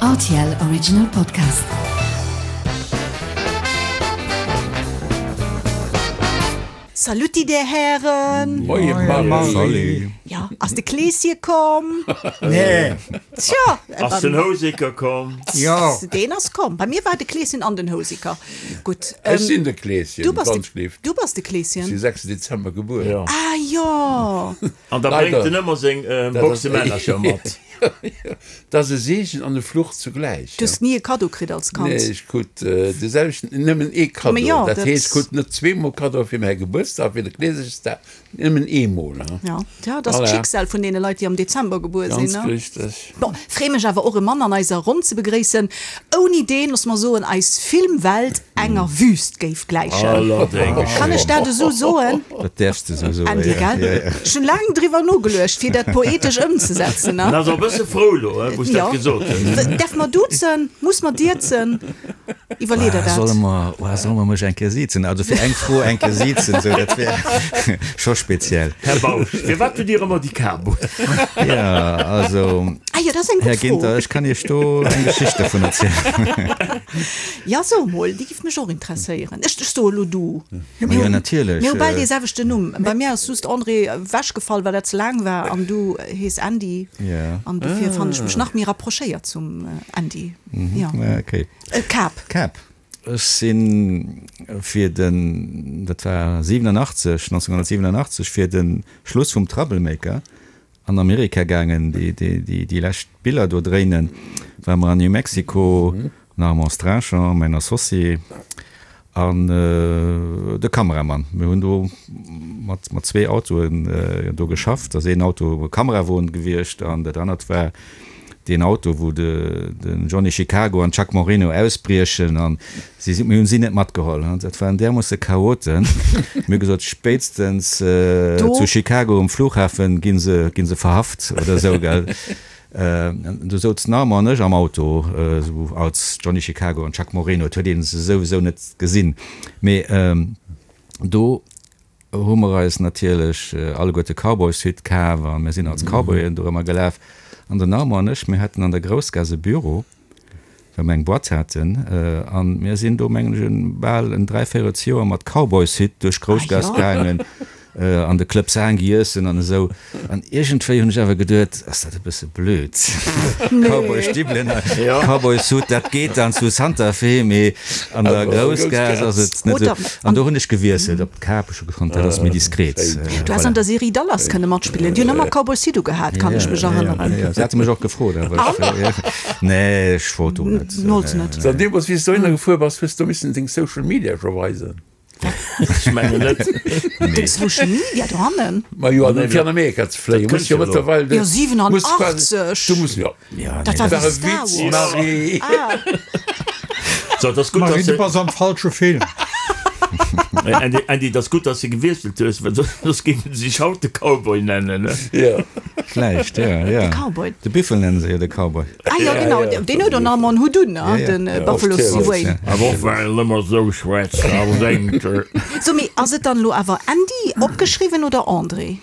Rtl Original Podcast. Saluti där Hären! Moie Marie! Jo, ass de Kleeschen komm? Nee! Tjo! Ass den Houseker komm? Jo! Deen ass komm. Bei mir war de Kleeschen an den Houseker. Gutt. Ech sinn de Kleeschen, Du bass de, wann schlift. du bass de Kleeschen? Ech si 6 Dezember gebuer. Jo. Ah jo! An da bréngt en ëmmer seng Boxe Männercher mat. Dat ass e Seegen an e Fluch zugläich. Du hues ni e Kaddo kritt als Kand? Nee, ech krut de selwechten, nëmmen ee Kaddo. Dat heescht, ech krut net zweemol Kaddoe fir mäi Gebuertsdag, fir de Kleeseschsdag, nëmmen eemol. Jo, dat ass d'Schicksal vun deene Leit, déi am Dezember gebuer sinn. Ganz richteg. Bon, free mech awer och e Mann an eiser Ronn ze begréissen, ouni deen, looss mer soen, eis Filmwelt enger Wüst géif gläichen. Allerdéngs. Kann ech dat esou soen? Dat däerfs de esou soen, Andy, jo. gell? Ech hunn laang driwwer nogeluecht, fir dat poetesch ëmzesetzen, ne? En ass och e bësse frou elo, wou s dat gesot hues. Däerf mer duzen? Muss mer dierzen? Iwwerlee der dat. Solle mer, solle mer mech eng Kéier siezen? Also fir eng Fro eng Kéier siezen, esou, dat wär scho speziell. Här Bausch, firwat hutt Dir ëmmer déi Kap un? Jo, also, Ah jo, dat ass eng gutt Här Fro. Ginter, ech kann Iech do eng Geschicht dovun erzielen. Ja, so emol, déi giff mech och interesséieren. Ech soe lo du. Ma jo, natierlech. Mir hu bal dee selwechten Numm. Bei mir ass just André ewechgefall, well dat ze laang war, an du hees Andy. An dofir fannen ech mech nach méi rapprochéiert zum Andy. Jo. Okay. Kap. Kap. Ech si fir den, dat war 87, 1987, fir de Schluss vum Troublemaker an Amerika gaangen, déi lescht Biller do dréinen, ware mer an New Mexico, den Armand Strachan, mäin Associé, an de Kameramann. Mir hunn do mat zwee Autoen do geschafft. Ass een Auto e Kamerawon gewiescht an dat anert war deen Auto, wou de Johnny Chicago an d'Chuck Moreno ausbriechen. An si si, mir hunn si net matgeholl. Dat waren därmoosse Chaoten. Mir hu gesot, spéitstens zu Chicago um Flughafen gi se, gi se verhaft oder esou, gell. Du souz den Armand an ech am Auto, esou als Johnny Chicago an Chuck Moreno. Et huet ee se souwisou net gesinn. Mee do hu mer eis natierlech alleguerte Cowboyshütt kaf a mir sinn als Cowboyen dorëmmer gelaf. An den Armand an ech, mir haten an der Groussgaass e Büro, well mer eng Boîte haten. A mir sinn do, mengen ech, bal en dräivéierelsjoer mat Cowboyshütt duerch d'Groussgaass gaangen. An de Club Saang iessen an esou. An iergendwéi hunn ech awer geduet, ass dat e bësse blöd, Cowboy-Stiwwelen a Cowboy-Suit, dat geet dann zu Santa Fe, mee an der Groussgaass ass et net esou. An do hunn ech gewiesselt op d'Kap, ech hu gefonnt, dat ass méi diskret. Du häss an der Serie Dallas kënne matspillen, déi hunn ëmmer Cowboy-Suit ugehat, kann ech mech erënneren. Jo, se hate mech och gefrot, awer ech, nee, ech wollt do net. Wollts net. So, deemools, wéi s du dohinner gefuer bass, hues du missen deng Social Media scho weisen? Ech mengen net. Deng Social Media dohannen? Ma jo, an fir an Amerika ze fléien, muss jo mëttlerweil. Jo, 87! Du muss jo. Dat war e wéi Star Witz, Wars. Marie. So, dat ass gutt, Marie, dass du se. bass am falsche Film. Andy, Andy, dat ass gutt, dass de gewiesselt hues, well soss géifen se sech haut de Cowboy nennen, ne? Jo. Vläicht, jo, jo. De Cowboy. De Biffel nennen se jo de Cowboy. Ah jo, genau, deen huet och nach emol en Hutt un, de Buffalo Steve. Awer och well en ëmmer esou schwätzt a sengt. So, mee ass et dann elo awer Andy opgeschriwwen oder André?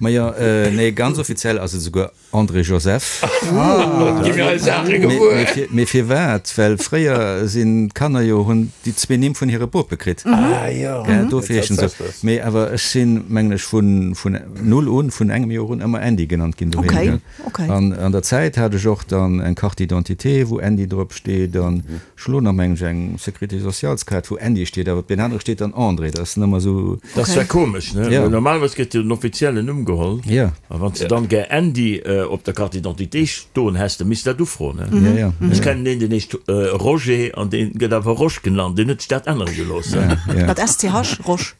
Majo, nee, ganz offiziell ass et esouguer André Joseph. Gi mir eis Saache gewuer. Mee firwat? Well fréier sinn d'Kanner jo, hunn déi zwee Nimm vun hire Bope kritt. Ah jo. Gell, dofir heeschen se esou. Mee awer ech sinn, mengen ech, vun null un, vun engem Joer un ëmmer Andy genannt ginn doheem, gell. Okay. An an der Zäit hat ech och dann eng Carte d'identité, wou Andy drop steet, an ech hu lo nach, mengen ech, eng Sécurité socialeskaart, wou Andy steet, awer op deem anere steet dann André. Dat ass dann ëmmer esou. Dat ass zwar komesch, ne? Ja. Well normalerweis gëtt jo den offiziellen Numm geholl. Ja. A wann s de dann gär Andy op der Carte d'identité stoen häss, da misst de dat ufroen, ne? Ja, ja. Ech kennen een, deen heescht Roger an dee gëtt awer Rosch genannt. Deen huet sech dat ännere gelooss, ne? Ja, ja. Mat SCH, Rosch.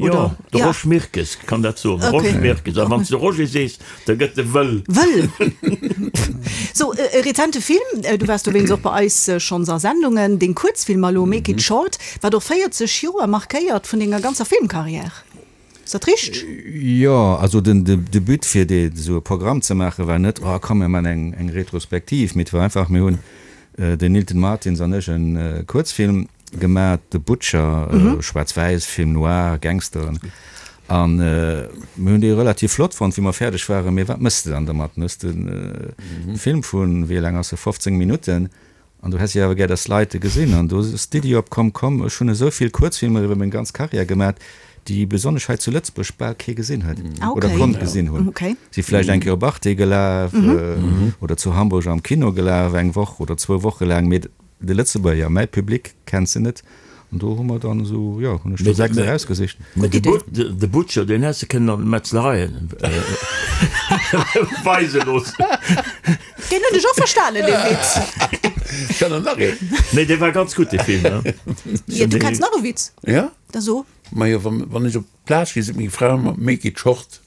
Jo, de Rosch Mirkes kann dat soen. Rosch Mirkes. A wann s de Roger sees, da gëtt e wëll. Wëll! Sou, e rezente Film, du waars dowéinst och bei eis schonns a Sendungen, deng Kuerzfilmer elo, Make it short, wat och 40 Joer markéiert vun denger ganzer Filmkarriär. Ass dat richteg? Jo, also den de But fir dee sou e Programm ze maachen, war net, oh komm mir man eng eng Retrospektiv, mee et war einfach, mir hunn, den Nilton Martins an ech, e Kuerzfilm gemat, The Butcher, schwaarz-wäiss, Film noir, Gangsteren. An mir hunn dee relativ flott fonnt, wéi mer fäerdeg waren. Mee wat méchs de dann dermat? Dann hues de e Film vun, wéi laang ass e, 15 Minutten. An du häss jo awer gär, dass d'Leit e gesinn. An do ass d'Iddi opkomm, komm, ech hunn esou vill Kuerzfilmer iwwer meng ganz Karriär gemat, déi besonnesch hei zu Lëtzebuerg bal kee gesinn huet oder konnt gesinn hunn. Si vläicht eng Kéier op Arte gelaf oder zu Hamburg am Kino gelaf, eng Woch oder zwou Woche laang, mee de Lëtzebuerger, mäi Public kennt se net. An do hu mer dann esou, jo, hunn ech do 6 erausgesicht. Mee de Butcher, deen häss de kënnen an de Metzlereien weise loossen. Deen hunn ech och verstanen, dee Witz. Ech kann der nach een. Nee, dee war ganz gutt, dee Film, ne? Jo, du kenns nach e Witz? Ja. Da so. Majo, wann ech op d'Plage gi, seet meng Fra ëmmer, Make it short.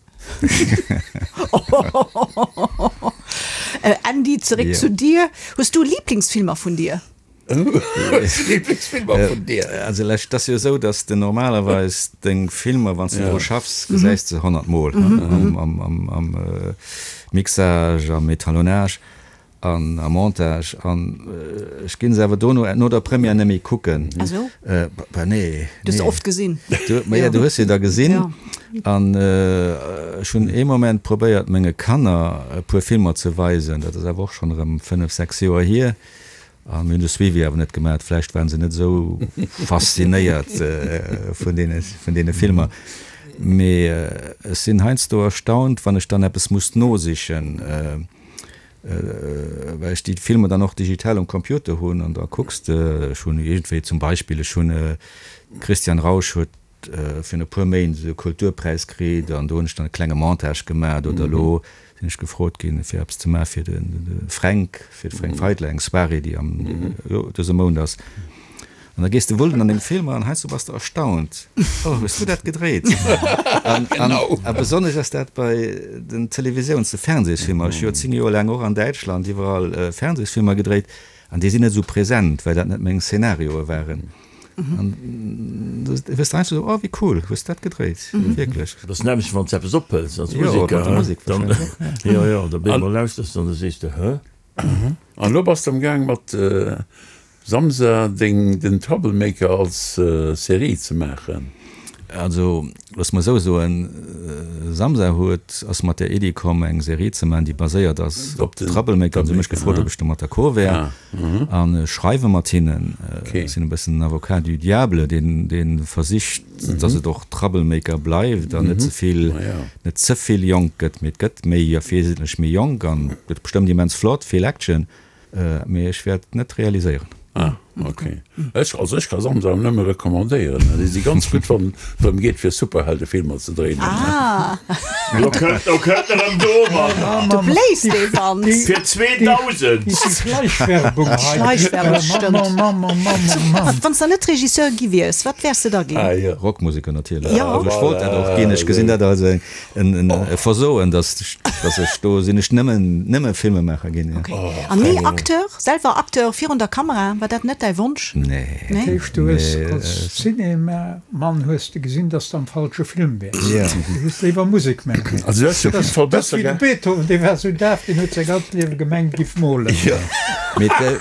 Andy, zeréck zu dir. Hues du Liblingsfilmer vun dir? Liblingsfilmer vun dir? Also lech, et ass jo esou, datt s de normalerweis deng Filmer, wann s de dru schaffs, gesäis de 100 Mol am Mixage, am Etalonnage an am Montage. An ech ginn se awer dono, no der Première, net méi kucken. Ah sou? Bah nee. Du hues se oft gesinn. Ma jo, du hues se da gesinn. An ech hunn ee Moment probéiert, menge Kanner e puer Filmer ze weisen. Dat ass awer och schonn erëm 5, 6 Joer hier. A mir hunn de Suivi awer net gemat. Vläicht waren se net esou faszinéiert vun deene, vun deene Filmer. Mee ech sinn heiansdo erstaunt, wann ech dann eppes muss nosichen, well ech déi Filmer dann och digital um Computer hunn an da kucks de, ech hunn iergendwéi zum Beispill, ech hunn, Christian Rausch huet virun e puer Méint esou e Kulturpräis kritt an do hunn ech dann e klenge Montage gemat oder elo sinn ech gefrot ginn, fir eppes ze maache fir de Fränk, fir de Fränk Feitler, eng Soirée, déi am, jo, dëse Mount ass. An da gees de wullen an deng Filmer an heiansdo bass de erstaunt, Oh, hues du dat gedréit? An, an, a besonnesch ass dat bei den Televisiouns-, de Fernsehsfilmer. Ech hu jo 10 Joer laang och an Däitschland iwwerall Fernsehsfilmer gedréit an déi sinn net esou present, well dat net meng Szenarioe waren. An du wëss einfach esou, oh wéi cool, hues dat gedréit, wierklech. Dat ass nämmlecht wann s de eppes ophëls als Museker, dann, jo jo, da bemol lauschters de an da sees de, hë? An elo bass de am Gaang mat Samsa deng den Troublemaker als Serie ze maachen. Also looss mer esou soen, Samsa huet, ass mat der Iddi komm eng Serie ze maachen déi baséiert ass op Troublemaker. An se hu mech gefrot ob ech domat d'accord wär. An ech schreiwe mat hinnen. Ech sinn e bëssen den Avocat du diable, deen dee versicht, datt et och Troublemaker bleift an net ze vill, net ze vill jonk gëtt. Mee et gëtt méi, wesentlech méi jonk an gëtt bestëmmt immens flott, vill Action. Mee ech wäert et net realiséieren. Ah, ok. Ech, also ech ka Samsung nëmme recommandéieren. Déi si ganz gutt, wann et drëm geet, fir Superheldefilmer ze dréinen. Ah! Lo kënnt, lo kënnt en erëm domadder. Du bléist dee Wand. Fir 2000. Déi Schleichwerbung hei. Schleichwerbung, stëmmt. Wann s de net Regisseur gi wiers, wat wäers de da ginn? Ah, jo. Rockmuseker natierlech. Jo. Also ech wollt dat och ginn. Ech gesinn dat als eng E Versoen, dass dass ech do sinn, ech nëmmen nëmme Filmemaacher ginn, jo. Okay. An ni Acteur, selwer Acteur virun der Kamera, war dat net däi Wonsch? Nee. Dat heescht, du hues als Cinemamann hues de gesinn, dass de am falsche Film wäers. Jo. Du hues léiwer Musek maachen. Also du häss jo op jidde Fall Dat ass besser wéi de ge. Beethoven, dee war esou daf, deen huet säi ganzt Liewe gemengt, giff molen. Jo. Mee et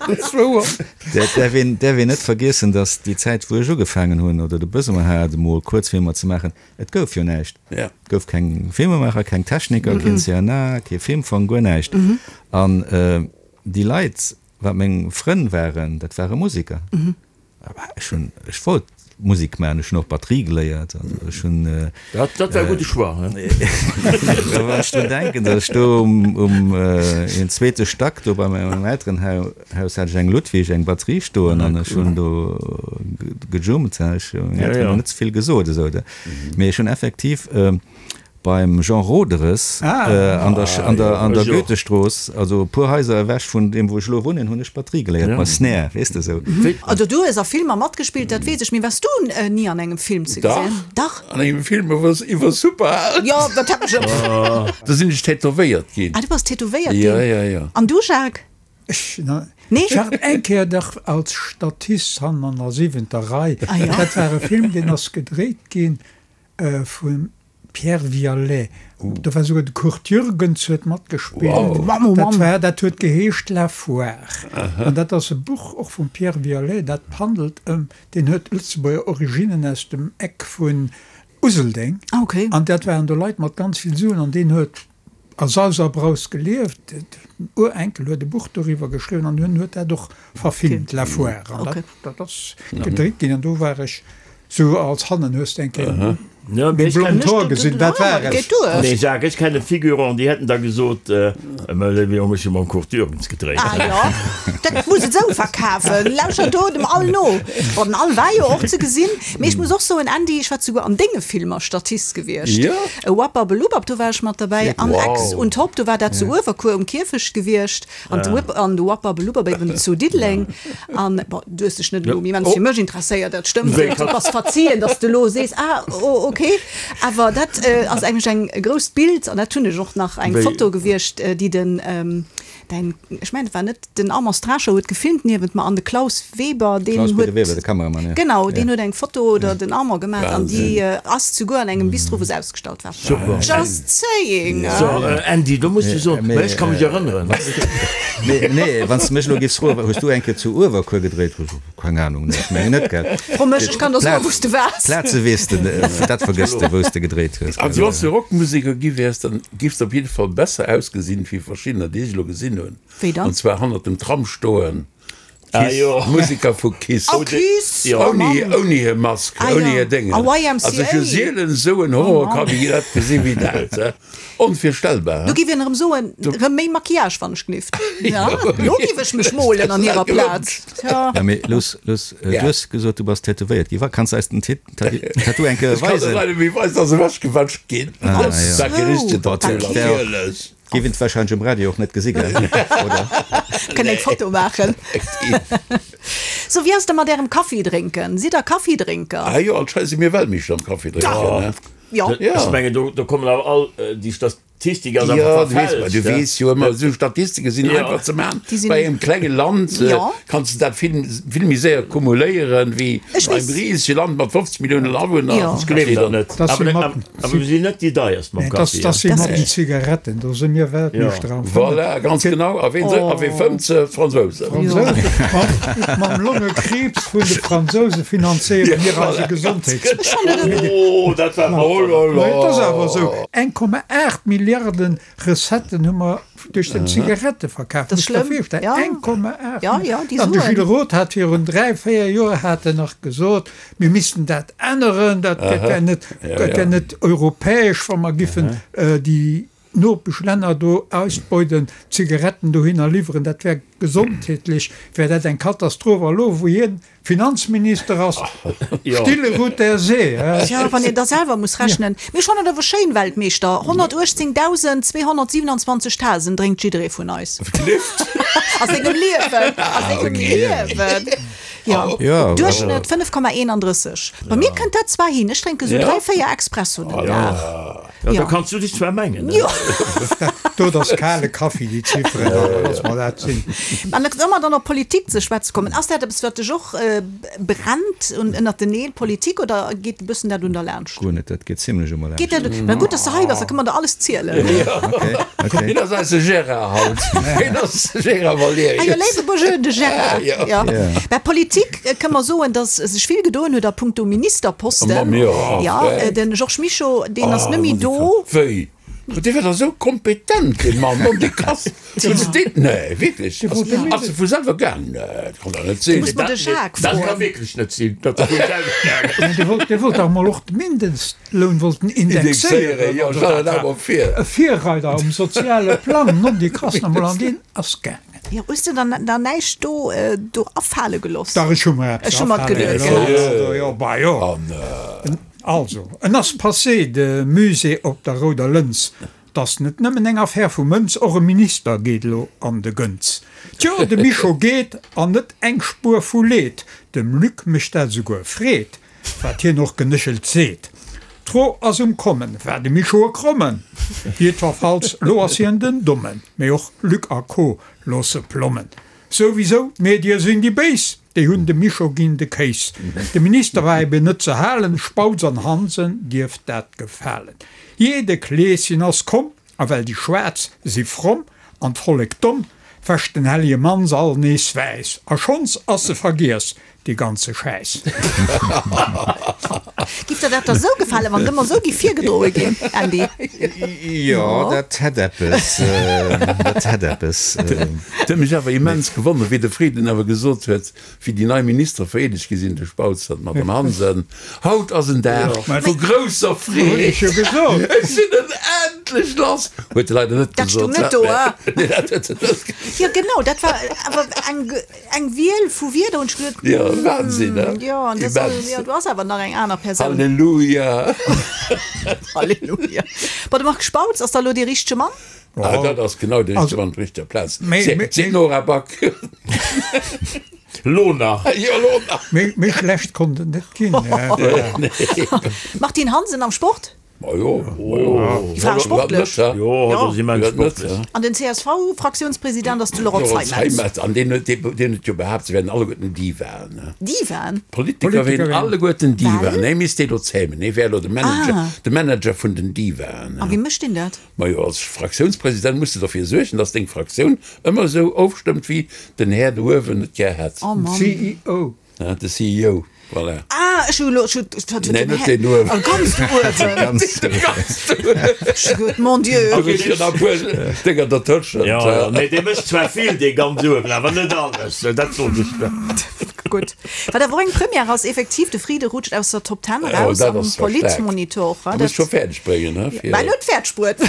Dat ass wouer. däerf een däerf een net vergiessen, dass déi Zäit, wou ech ugefaangen hunn oder de Besoin hat, emol Kuerzfilmer ze maachen, et gouf jo näischt. Et gouf keng Filmemaacher, keng Techniker, keen CNA, kee Filmfong, guer näischt. An déi Leit, wat meng Frënn waren, dat ware Museker. Ech hunn, ech wollt Musek maachen, ech hunn och Batterie geléiert, also ech hunn. Dat, dat war e gudde Choix, he? Wann ech drun denken, datt ech do um, um een zweete Stack do bei mengem Elterenhaus hat ech eng Ludwig, eng Batterie stoen an ech hunn do gejummt, he. Ech hunn mengen Elteren net ze vill gesot esou, mee ech hunn effektiv Beim Jean Roederes an der an der an der Goethestrooss, also e puer Haiser ewech vun deem wou ech elo wunnen, hunn ech Batterie geléiert, bei Snare, weess de esou. Also du hues a Filmer matgespillt, dat weess ech, mee waars du ni an engem Film ze gesinn? Dach. An engem Film iwwer iwwer Superhelden. Jo, dat hat ech. Do sinn ech tätowéiert ginn. Ah, du bass tätowéiert ginn? Jo, jo, jo. An du, Jacques? Ech Nee? war eng Kéier dach als Statist hannen an der siwenter Rei. Ah jo. Dat war e Film, deen ass gedréit ginn vun. Pierre Viallet, do war souguer de Kurt Jürgens huet matgespillt. Dat war, dat huet geheescht La Foire. An dat ass e Buch och vum Pierre Viallet, dat handelt ëm, deen huet Lëtzebuerger Originnen aus dem Eck vun Useldeng. An dat waren do Leit mat ganz vill Suen an deen huet a Saus a Braus gelieft. Den Urenkel huet e Buch doriwwer geschriwwen an hien huet dat och verfilmt, La Foire. An dat, dat ass gedréit ginn an do war ech sou als hannen, hues de eng Kéier meng blond Hoer gesinn, dat war ech. Nee Jacques, ech kenne Figurant, déi hätten da gesot, Mä léiwe Jong, ech hu mam Kurt Jürgens gedréit. Ah jo, dat muss et esou verkafen. Lauschter do dem Al no. Bon, den Al war jo och ze gesinn. Mee ech muss och soen, Andy, ech war souguer an denge Filmer Statist gewiescht. Jo. Wapperbelubbab, do war ech mat derbäi. An Ex und Top, do war dat zu Uewerkuer um Kierfecht gewiescht. An de Whip an de Wapperbelubbab eben zu Diddeleng. An, bon, du hues dech net elo immens fir mech interesséiert, dat stëmmt. Du bass verzien, dass de elo sees, ah, oh, okay. Awer dat ass eigentlech eng e grousst Bild an dat hunn ech och nach, eng Foto gewiescht, déi den, däin, ech mengen et war net den Armand Strascher huet gefilmt niewent mer an de Klaus Weber, deen Klaus huet, Peter Weber, de Kameramann, ja. genau, deen huet eng Foto oder den Armand gemaach an déi ass souguer an engem Bistro, wou se ausgestallt war. Super. Just saying! So, Andy, do muss du soen, mä ech ka mech erënneren. Mee, nee, wann s de mech elo giffs froen, hues du eng Kéier zu Uewerkuer gedréit? Keng Ahnung, nee, ech mengen net, gell? Fro mech, ech kann der soen, wou s de waars. Plaze weess de, dat vergëss de, wou s de gedréit hues. Also wann s de Rockmuseker gi wäers, dann giffs de op jidde Fall besser ausgesinn, wéi verschiddener, déi ech elo gesinn hunn. Wéi dann? An zwar hannert dem Tram stoen, Kiss, Museker vu Kiss. Oh, Kiss! Oh Mann! Ouni hir Mask, ouni hir Déngen. A YMCA! Also ech hu sielen esou en Horrorkabinett gesi wéi dat. Onvirstellbar, Do giff een erëm soen, erëm méi Maquillage wann ech glift. Ja, lo giff ech mech molen an hirer Plaz. Tja. Ja, mee Luss, Luss, du hues gesot, du bass tätowéiert ginn. Wa, kanns de eis den Tattoo eng Kéier Ech kann weisen? der leider méi weisen, ass ewechgewäscht ginn. Ah, ja. Dat kee richtegen Tattoo, natierlech. Giff een wahrscheinlech um Radio och net gesi, gell? Oder? Kënnt eng Foto maachen. Sou, wéi ass et da mat ärem Kaffi drénken? Sidd der Kaffidrénker? Ah jo, anscheinend si mir Weltmeeschter am Kaffi drénken, ne? Jo. Ech mengen, do kommen awer all déi Statistik ass Jo, einfach du weess, verfälscht. du weess jo ëmmer, esou Statistike sinn einfach ze maachen. Bei engem klenge Land kanns de dat vill, vill méi séier kumuléieren, wéi Ech bei engem weess. risege Land mat 50 Milliounen Awunner. Jo. Ech gleewen dat net. Dat si Awer mat, awer mir sinn net déi deierst mam dat, Kaffi. dat si mat den Zigaretten, do si mir Weltmeeschter am Fëmmen. Voilà, ganz genau. A ween, a wee fëmmt se? D'Fransousen. D'Fransousen. Mam Longekriibs vun de Fransouse finanzéiere mir eise Gesondheets. Oh, dat war Oh là là. Et ass awer esou, 1,8 Milliarden Recetten hu mer duerch den Zigaretteverkaf. Dat ass Muss der schlëmm. virstellen, Ja. 1,8 Ja, ja, déi An de Suen. Gilles Roth hat virun 3, 4 Joer hat en nach gesot, mir missten dat änneren, dat wär net, dat wär net europäesch, wa mer giffen déi Nopeschlänner do ausbeuden, Zigaretten dohinner liwweren, dat wär gesondheetlech wär dat eng Katastroph. A lo wou hien Finanzminister ass, stille ruht der See, he? Tja, wann een da selwer muss rechnen. Mee ech fannen et awer schéin, Weltmeeschter, 118.227 Tasen drénkt jidderee vun eis. A sengem Liewen, a sengem Liewen. Jo, Duerchschnëtt 5,31. Bei mir kënnt dat zwar hin, ech drénke sou 3, 4 Expressoen den Dag. Jo, da kanns du dech zwar mengen, ne? Jo. Do, dat ass kale Kaffi, déi Zifferen, da loosse mer dat sinn. An wa mer dann op Politik ze schwätze kommen, ass dat eppes, wat dech och brennt un ënnert den Neel, Politik, oder geet e bëssen dat un der laanscht? Guer net, dat geet zimlech u mer Geet laanscht. dat? Mä gutt, dass de hei bass, da kënne mer der alles zielen. Okay, okay. Hien ass eise Gérard haut. Hien ass de Gérard Ah jo, Valerius. léiwe Bonjour, de Gérard. Jo. Jo. Mä Politik, kënne mer soen, dass sech vill gedoen huet a punkto Ministerposten. Ma mir och, Jo, gell? de Georges Mischo, deen ass net méi do. Wéi? Dee war da sou kompetent, dee Mann, mon Dieu, krass. Hunn se deen, nee, wierklech, ass e vu selwer gaang? Nee, dat kann dach net sinn. Muss mer de Jacques Dat ka froen. wierklech net sinn, datt e vu selwer gaang ass. Dee wollt, dee wollt dach mol och de Mindestloun wollt en Indexéieren, indexéieren. jo, stell der dat mol vir. E Virreider um soziale Plang, non, déi krass nach mol, an deen ass gaangen. Jo, hues de dann da näischt do, do afale geloss? Dach, ech hu mer eppes Ech hu mer afale geduet geloss. gehat. Jo, bah jo. Also, en ass passé, de Musée op der Rouder Lëns. 't ass net nëmmen eng Affär vu Mënz, och e Minister geet elo an de Gënz. Tjo, de Mischo geet, an net eng Spuer vu Leed, dem Luc mécht dat esouguer Freed, wat hien och genéchelt seet. D'Fro ass um Kommen, war de Mischo e Krommen? Jiddwerfalls, lo ass hien den Dommen, mee och Luc a Co. Loosse plommen. Souwisou, d'Medie sinn déi Béis! Déi hunn dem Mischo ginn de Kéis. De Minister war eben net ze halen, Spautz an Hansen dierft dat gefalen. Jee, de Kleeschen ass komm, a well déi Schwaarz si fromm an d'Vollek domm, wäscht den Hellege Mann se all nees wäiss. A schonns ass se vergiess, dee ganze Schäiss. Giff der dat da sou gefalen, wann et ëmmer sou giff virgedroe ginn, Andy? Jo, dat hätt eppes, dat hätt eppes. Et huet mech awer immens gewonnert, wéi de Frieden awer gesot huet, wéi déi nei Ministere vereedegt gi sinn, de Spautz an d'Madame Hansen, Haut ass en Dag vu grousser Freed, ech sinn en endlech lass! Huet e leider net gesot. Dat stoung net do, ah? Nee, dat huet en net gesot. Jo, genau, dat war awer eng. Eng Wiel vu Wierder hunn ech geduet, Jo, Wahnsinn, ne? Jo, an das, Immens. jo, du ass awer nach eng aner Persoun. Halleluja! Halleluja. Bon, de Marc Spautz ass da lo dee richtege Mann? Ah, dat ass genau de richtege Mann op der richteger Plaz. Seet d'Nora Back. Lo nach. Jo, lo nach. Méi schlecht konnt et net ginn. Martine Hansen am Sport? Ma jo, ma jo. Déi Fra ass sportlech. Jo, hatt ass immens sportlech. An den CSV-Fraktiounspresident ass de Laurent Zeimetz. An deen huet, deen huet jo behaapt, se wären alleguerten Divaen. Divaen? D'Politiker wieren alleguerten Divaen. Hie misst déi elo zämen. Hie wär elo de Manager, de Manager vun den Divaen. A wéi mécht deen dat? Majo, als Fraktiounspresident muss de derfir suergen, datt deng Fraktioun ëmmer esou ofstëmmt, wéi den Här do uewen et gär hätt. Oh Mann. CEO. De CEO, voilà. Ah, ech hu elo, ech hu, wat huet Nee, den net Här, deen uewen. oh, ganz do uewen. Ganz do uewen. Ganz do uewen. Ech hu geduet, mon Dieu. Do ginn jo nach e puer Dénger dertëschent. Jo, jo, nee, dee mécht zwar vill, dee ganz uewen, awer net alles, dat soen ech der. Gutt. Wat awer och eng Première ass, effektiv, de Friede rutscht aus der Top Ten Oh, eraus dat am ass zwar staark. Politmonitor. Du muss scho fäerdeg bréngen, he, fir. Mä en huet fäerdeg bruet.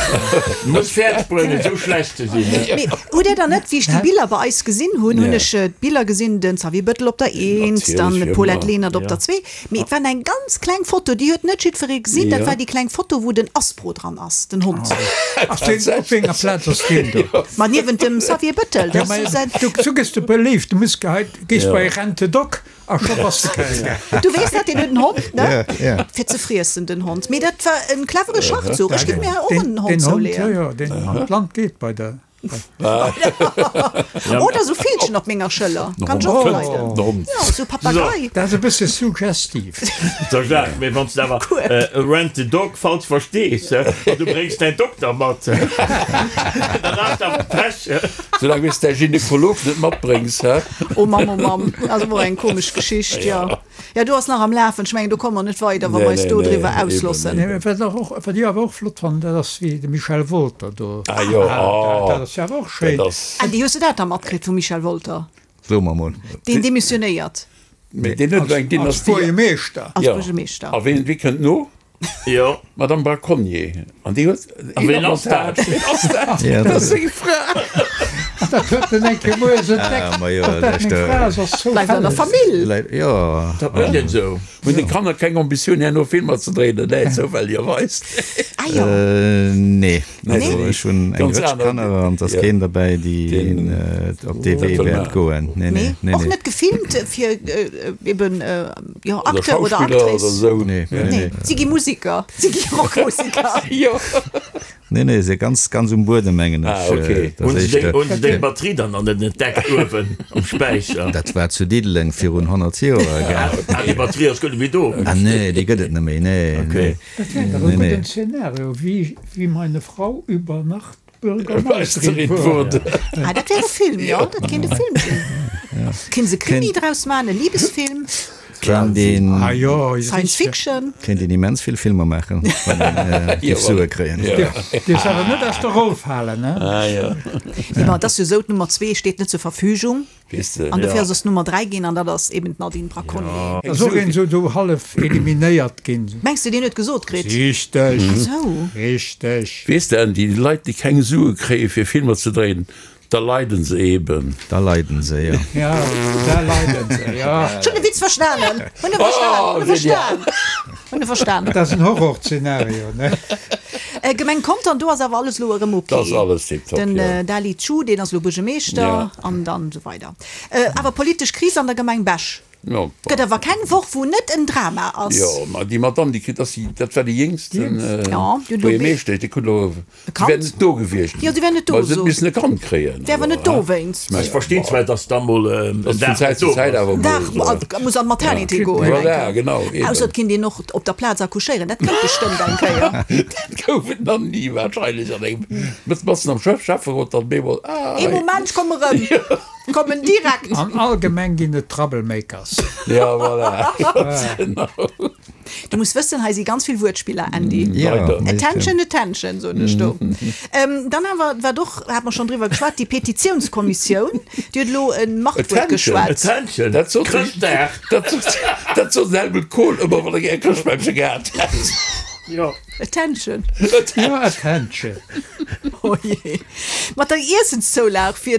Muss fäerdeg bréngen, esou schlecht ze sinn, ne? Mee hutt Dir dann net, wéi ech déi Biller bei eis gesinn hunn, hunn ech d'Biller gesinn, den Xavier Bettel op der Eent, dann d'Paulette Lenert op der Zwee, mee et war eng ganz kleng Foto, déi huet net jiddweree gesinn, dat war déi kleng Foto, wou den Aspro dran ass, den Hond. Ass deen, op wéi enger Plaz ass deen do? Ma niewent dem Xavier Bettel, dat ass säin. Du, du gëss de beléift, du muss gehei, gees bei Rent a Dog a scho bass de keng. Du weess dat, deen huet en Hond, ne? Ja, ja. Fir ze friessen, den Hond. Mee dat war en clevere Schachzuch. Ech géif mir och en Hond Den Hond, zouleeën. jo, jo, deen an d'Land geet bei der. Oder sou Villchen op menger Schëller. Kann ech och leiden. Jo, sou Papagei. Dat ass e bësse suggestiv. So Jacques, mee wann s de awer Rent a Dog falsch verstees an du bréngs däin Dokter mat, dann has de awer Pech. Soulaang wéi s däi Gynekolog net matbréngs, hä? Oh Mamm, oh Mamm, ass awer och eng komesch Geschicht, jo. Jo, do ass nach am Lafen. Ech mengen, do komme mer net weider, wa mer eis do driwwer auslossen. Nee, mä wat och, wat ech awer och flott fannen, dat ass wéi de Michel Wolter do. Ah jo, oh, dat ass jo awer och schéin. Dat ass. Andy, hues du dat da matkritt vum Michel Wolter? So mer mol. Deen demissionéiert. Mee deen huet elo eng Als Dynastie. Buergermeeschter. Als Buergermeeschter. A wien, wie kënnt no? Jo. D'Madame Braconnier. An déi huet A ween ass dat? Ween ass dat? Ja, Dat ass seng Fra. Dat huet en eng Kéier moies entdeckt, Ah, ma jo, datt dat meng Fra ass, ass Bleift an der zoufälleg. Famill. Jo. Dat mécht een esou. Hunn déi Kanner keng Ambitioun herno Filmer ze dréinen? Nee, zoufälligerweis. Ah jo. Nee. Nee. Also ech hunn eng Ganz Rëtsch aner. Kanner an et ass Ja. keen derbäi, déi Deen op dee Wee dat wëll wäert maachen. goen. Nee, nee, Nee, nee, och nee. net gefilmt fir eben jo Oder Acteur oder Schauspiller oder Actrice. esou. Nee, nee, Nee, nee. si gi Musiker, si gi Rockmusiker. Jo. Nee, nee, se ganz, ganz um Buedem, mengen ech. Ah, okay. Dat Hunn ass se deng, éischter. hunn se deng Batterie dann an den entdeckt uewen am Späicher? Dat war zu Diddeleng virun 100 Joer, gell? Ah, déi Batterie ass guer net méi do. Ah, nee, déi gëtt et net méi, nee, Okay. nee. Dat wär dach e Nee, nee. gudden Szenario, wéi, wéi meine Frau über Nacht Bürgermeisterin wurde. Ah, dat wär e Film, jo, dat kéint e Film sinn. Kéint se Krimi draus maachen, e Libesfilm, Kéint een, Ah jo, Science Fiction. kéint een immens vill Filmer maachen, wann een géif Sue kréien. Dierfs awer net aus der Roll falen, ne? Ah jo. Nee, ma et ass jo esou, d'Nummer zwee steet net zur Verfügung. Weess de. An dofir ass es Nummer 3 ginn, an dat ass eben d'Nadine Braconnier. Ass och een esou do hallef eliminéiert ginn. Mengs de, deen huet gesot kritt? Richteg, Esou. richteg. Weess de, Andy, déi Leit, déi keng Sue kréie fir Filmer ze dréinen, da leiden se eben. Da leiden se, jo. Ja, da leiden se, jo. Ech hunn de Witz verstanen! Hunn e verstan, hunn e verstan, hunn e verstan. Dat ass en Horrorszenario, ne? Gemeng Contern, do ass awer alles elo erëm ok. Dat ass alles tiptop, Den jo. Dali Chu, deen ass elo Buergermeeschter Ja. an dann esou weider. Awer politesch Kris an der Gemeng Bech. Jo, bon. Gëtt awer keng Woch, wou net en Drama ass. Jo, ma déi Madame, déi kritt, ass déi, dat war déi jéngsten Jo, déi huet elo Buergermeeschtesch, déi krut elo, e si wär Kand. net do gewiescht. Jo, si wär net do, Ma se huet so. missen e Kand kréien. Wär awer net dowéinst. Ech verstinn zwar, dass da mol en Dass vun Dag Zäit net zu do Zäit ass. awer mol Dag, esou. muss an d'Maternité goen eng Voilà, Kéier. genau, eben. Ausser et kinnt een och op der Plaz accouchéieren, dat kënnt bestëmmt eng Kéier. Dat gouf et nach ni wahrscheinlech an engem, matzen am Schäfferot dann bemol, ah, Ee hei. Moment, ech komme rëm. Kommen direkt. An all Gemeng ginn et Troublemakers. Ja, voilà. Ganz genau. Du muss wëssen, hei si ganz vill Wuertspiller, Andy. Ja, Leider. Attention, attention, soen ech do. Dann awer, wat och, hat mer schonn driwwer geschwat, déi Petitiounskommissioun, déi huet elo e Machtwuert Attention. geschwat. Attention, Dat sot de, Chrëschtdag! dat sot, dat sot den Helmut Kohl ëmmer, wann e gär e Chrëschtbämmche gehat hätt. Jo. Attention. Jo, attention. Oh jee. Mat der Iessenszoulag fir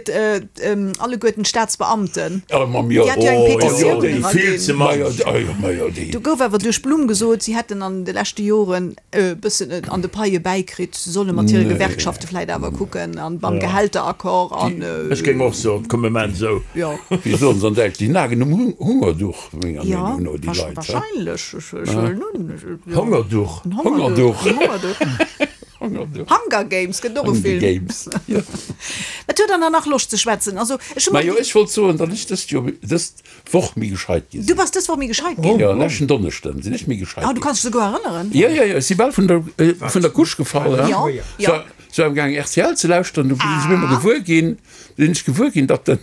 alleguerten d'Staatsbeamten. Oh, mam jo. Déi hat jo eng Oh, jo, Petitioun déi vill ze eraginn. Ma jo, mann. oh jo, ma jo, déi. Do gouf awer duerch d'Blumm gesot, si hätten an de leschte Joren e bëssen an de Paie bäikritt. Se solle mat hire Nee. Gewerkschafte vläit awer kucken an beim Gehälteraccord an. Ech géing och soen, komm mir maachen esou. Jo. Wéi soen se an Däitsch, déi nagen um Hungerduch, menger Jo, Meenung no, déi Leit. wahrscheinlech. Ech huelen un. Hongerduch. Hongerduch. Hongerduch. Hunger Games gëtt och e Hunger Film. Games, jo. Wat huet der dann nach Loscht ze schwätzen? Also, ech hu mer. Majo, ech wollt soen, datt ech dëst Joer, dëst Woch méi gescheit gi Du sinn. bass dës Woch méi gescheit ginn? Jo, leschten Donneschden sinn ech méi gescheit Ah, du ginn. kanns dech souguer erënneren? Jo, jo, jo, ech si bal vun der, vun der Couche gefall, ha. Jo, jo. Sou am gaang rtl ze lauschteren, du sinn ech op eemol gewuer ginn, sinn ech gewuer ginn, datt den,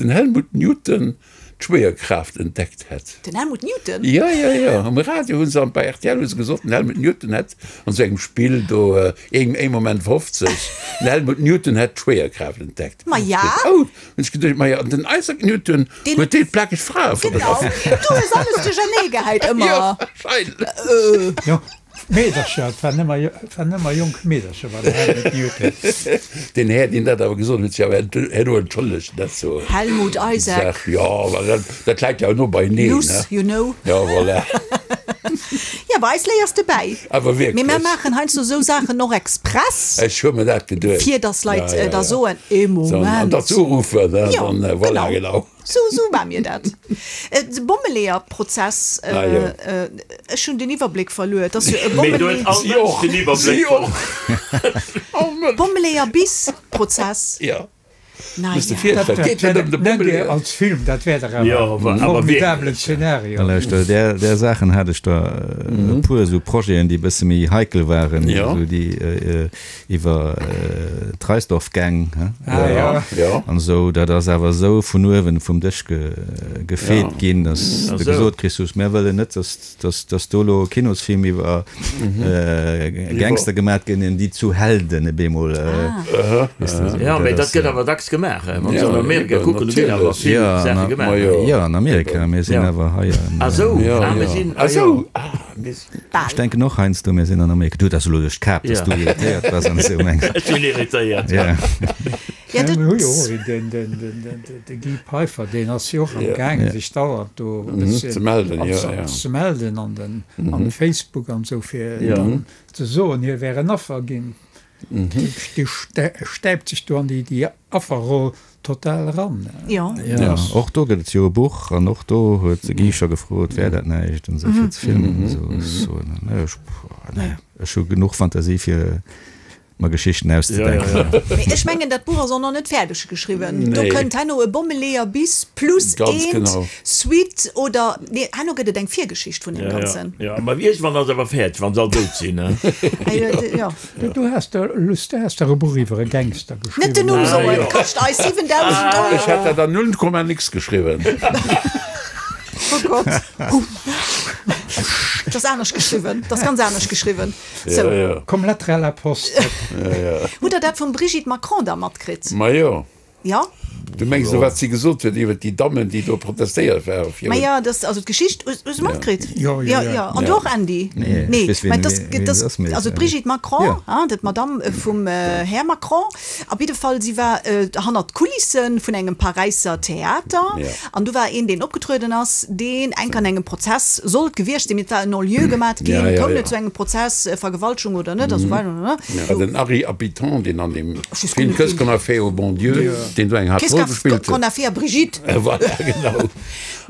den Helmut Newton d'Schwéierkraaft entdeckt hätt. Den Helmut Newton? Jo, jo, jo, um Radio hu se an bei rtl hu se gesot, den Helmut Newton hätt an esou engem Spill do, een Moment 50, den Helmut Newton hätt d'Schwéierkraaft entdeckt. Ma ja! Oh, hunn ech geduecht, ma jo, an den Isaac Newton huet déi plakeg Frae Genau, fotografiert. du hues alles duerchernee gehäit ëmmer. Jo, wahrscheinlech. Jo. Meedercher, et waren ëmmer, et waren ëmmer jonk Meedercher bei der Helmut Newton. Deen Här, deen dat awer gesot huet, huet sech awer herno entschëllegt, dat zur Helmut Isaac. Saach. Jo, well dat, dat läit jo no beieneen, Luss, ne? you know. Jo, voilà. Jo, bei eis léiers de bäi. Awer Mee mär wierklech. maachen heiansdo esou Saachen och express. Ech hu mer dat geduecht. Fir dass Leit Ja, ja, da ja. soen, ee So, an Moment. datt se uruffen, ne? Jo, Dann, voilà, genau. genau. Sou, sou war mir dat. De Bommeleeër-Prozess, ech hunn den Iwwerbléck verluer. Et ass jo e Mee do huet Bommeleeër. all Mënsch den Iwwerbléck verluer. Bommeleeër-bis-Prozess. Jo. Na Muss de ja. virstellen. Et geet net ëm de Nennt Dir Bommeleeër. als Film, dat wär dach awer Jo, e awer formidabelen wierklech. Szenario. Lauschter, där, där Saachen hat ech der e puer esou Projeten, déi e bësse méi heikel waren, Jo. esou déi Iwwer d'Reisdorf-Gang an esou, dat ass awer esou vun uewen vum Dësch gefeet ginn, datt s de gesot kriss hues, Mär wëllen net, datt do elo e Kinosfilm iwwer Gangster gemat gëtt, déi zu Helden op eemol. Jo, mee dat gëtt awer dacks gemaach, wann s de an Amerika kucken, do ginn awer vill Saache gemaach. Jo, an Amerika, mir sinn awer hei. Ah sou, ah mir sinn, ah jo. Ech denken och heiansdo, mir sinn an Amerika. Du, dat ass elo duerch d'Kap, dass du irritéiert bass an esou mengs. Ech sinn irritéiert. Ja. Ja, dat. Mir hu jo och een, den, de Guy Peiffer, deen ass jo och am gaangen, sech dauernd do e bësschen Ze melden, jo, jo. ze melden an den, an Facebook an esou, fir dann ze soen, hie wär en Affer ginn. Dee stäipt sech do an déi Afferroll total eran. Jo. Jo, och do gëtt et jo e Buch an och do huet de Guy scho gefrot, wär dat näischt an esou fir ze filmen an esou. Ech soen, nee, ech, nee, ech hu genuch Fantasie fir mer Geschichten auszedenken. Mee ech mengen, dat Buch ass och nach net fäerdeg geschriwwen. Do kënnt herno e Bommeleeër bis plus eent, Suite oder, nee, herno gëtt et eng Virgeschicht vun deem Ganzen. Jo, ma iergendwann ass awer fäerdeg, wann se all dout sinn. Jo. Du has der Lust, du has der e Buch iwwer e Gangster geschriwwen. Net den Numm soen, kascht eis 7000 Euro. Ech hätt dat an null Komma nix geschriwwen. Oh Gott. Dat ass anescht geschriwwen, dat ass ganz anescht geschriwwen. Sou. Komm, lettre à la poste. Hutt der dat vum Brigitte Macron da matkritt? Majo. Jo. Du mengs elo, wat si gesot huet iwwer déi Dammen, déi do protestéiert ware virun. Maja, dass, also d'Geschicht, hues du matkritt? Jo, jo, jo. An du och, Andy? Nee, ech weess, wien, wien et ass, mee. Also d'Brigitte Macron, hein, dat d'Madame vum Här Macron. Op jidde Fall, si war hannert d'Kulisse vun engem Paräisser Theater. An do war een, deen opgetrueden ass, deen enk an engem Prozess sollt gewiescht sinn, mee et war en Non-lieu gemat ginn, koum net zu engem Prozess, Vergewaltegung oder net a sou weider. Den Ary Abittan, deen an deem Film Qu'est-ce qu'on a fait au bon Dieu, deen do eng Qu'est-ce qu'a. gespillt huet. Qu'on a fait à Brigitte. Voilà, genau.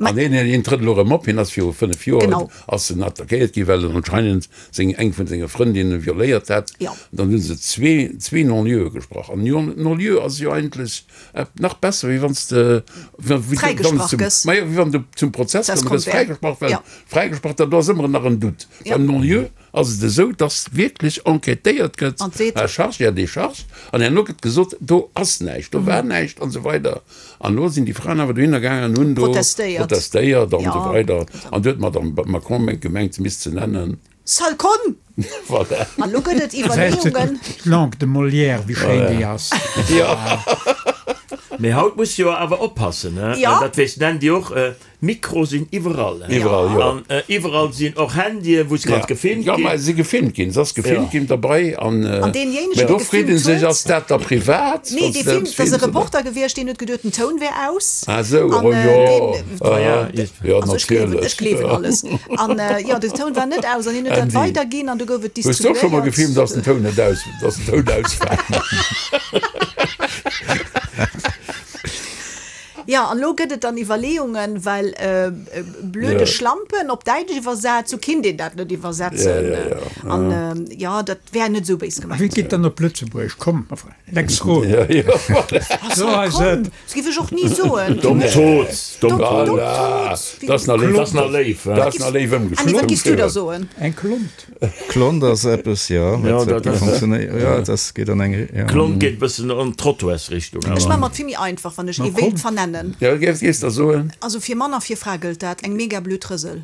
An hien, hien trëtt elo erëm op. Hien ass viru 5 Joer Genau. ass en attackéiert ginn, well en anscheinend seng, eng vun senge Frëndinne violéiert hätt. Ja. Dann hu se zwee, zwee Non-lieue gesprach. An Non-lieu ass jo eigentlech nach besser, wéi wann s de, wéi wann s Fräigesprach zum, gëss. ma jo, wéi wann du zum Prozess Prozess komm, du gëss komm wär. fräigesprach, well Ja. fräigesprach, dat do ass ëmmer nach en Doute. Ja. Beim Non-lieu ass et esou, dass wierklech enquêtéiert gëtt, An seet. à charge et à décharge, an herno gëtt gesot, do ass näischt, do war näischt an esou weider. An elo sinn déi Fraen awer dohinner gaangen an hunn do Protestéiert. protestéiert an Ja. esou weider. An du huet d'Madame Macron mengt gemengt, se misst se nennen. Sale conne! Voilà. An elo gëtt et Iwwerleeungen. D'Langue de Molière, wéi schéin déi ass. Jo. Mee haut muss jo awer oppassen, he? Ja. Dat weess d'Nandy och. Mikro sinn iwwerall, he? Iwwerall, jo. An iwwerall sinn och Handyen, wou se kanns gefilmt Ja, ginn. mä si gefilmt ginn. Se ass gefilmt Ja. ginn derbei. An, An deenjéinegen, mä dee do freet gefilmt ee sech, huet. ass dat da privat? Nee, wann dee se dat Film, dat ass e filmt, oder? Reporter gewiescht, deen huet geduet, den Toun wär aus. Ah sou, An, oh jo, deen, aha, Ja, jo, also ech gleewen, natierlech. ech gleewen alles. An, jo, den Toun war net aus an hien huet dat Andy, weiderginn an du gouf et hues du och scho mol distribuéiert. gefilmt, dass den Toun net aus, dass den Toun aus war? Jo, an elo gëtt et dann Iwwerleeungen, well blöde Ja. Schlampen op Däitsch iwwersat, sou kinnt een dat net iwwersetzen. Ja, ja, ja. An jo, dat wär net esou béis Wie gemengt. geet dann op Lëtzebuerg? Komm, Lex Roth. Ja, ja, voilà. So ass Komm, et. dat giff ech och ni soen. Domm Toz, domm Domm Toz. Voilà. Toz. Dat ass nach léif, Dat ass nach léif, he? dat ass nach léif Andy, wat giffs du da ëmgeschloen. soen? Eng Klont. Klont ass eppes, jo, Ja, wat dat wat ass- funktionéiert. Jo, dat geet an eng, ja. Klont geet e bëssen an d'Trottoirsrichtung, Ech awer. maache mer et vill méi einfach, wann ech ee komm. wéilt vernennen. Ja, wat géifs de soen? Also fir Mann a fir Fra gëllt dat, eng mega blöd Rësel.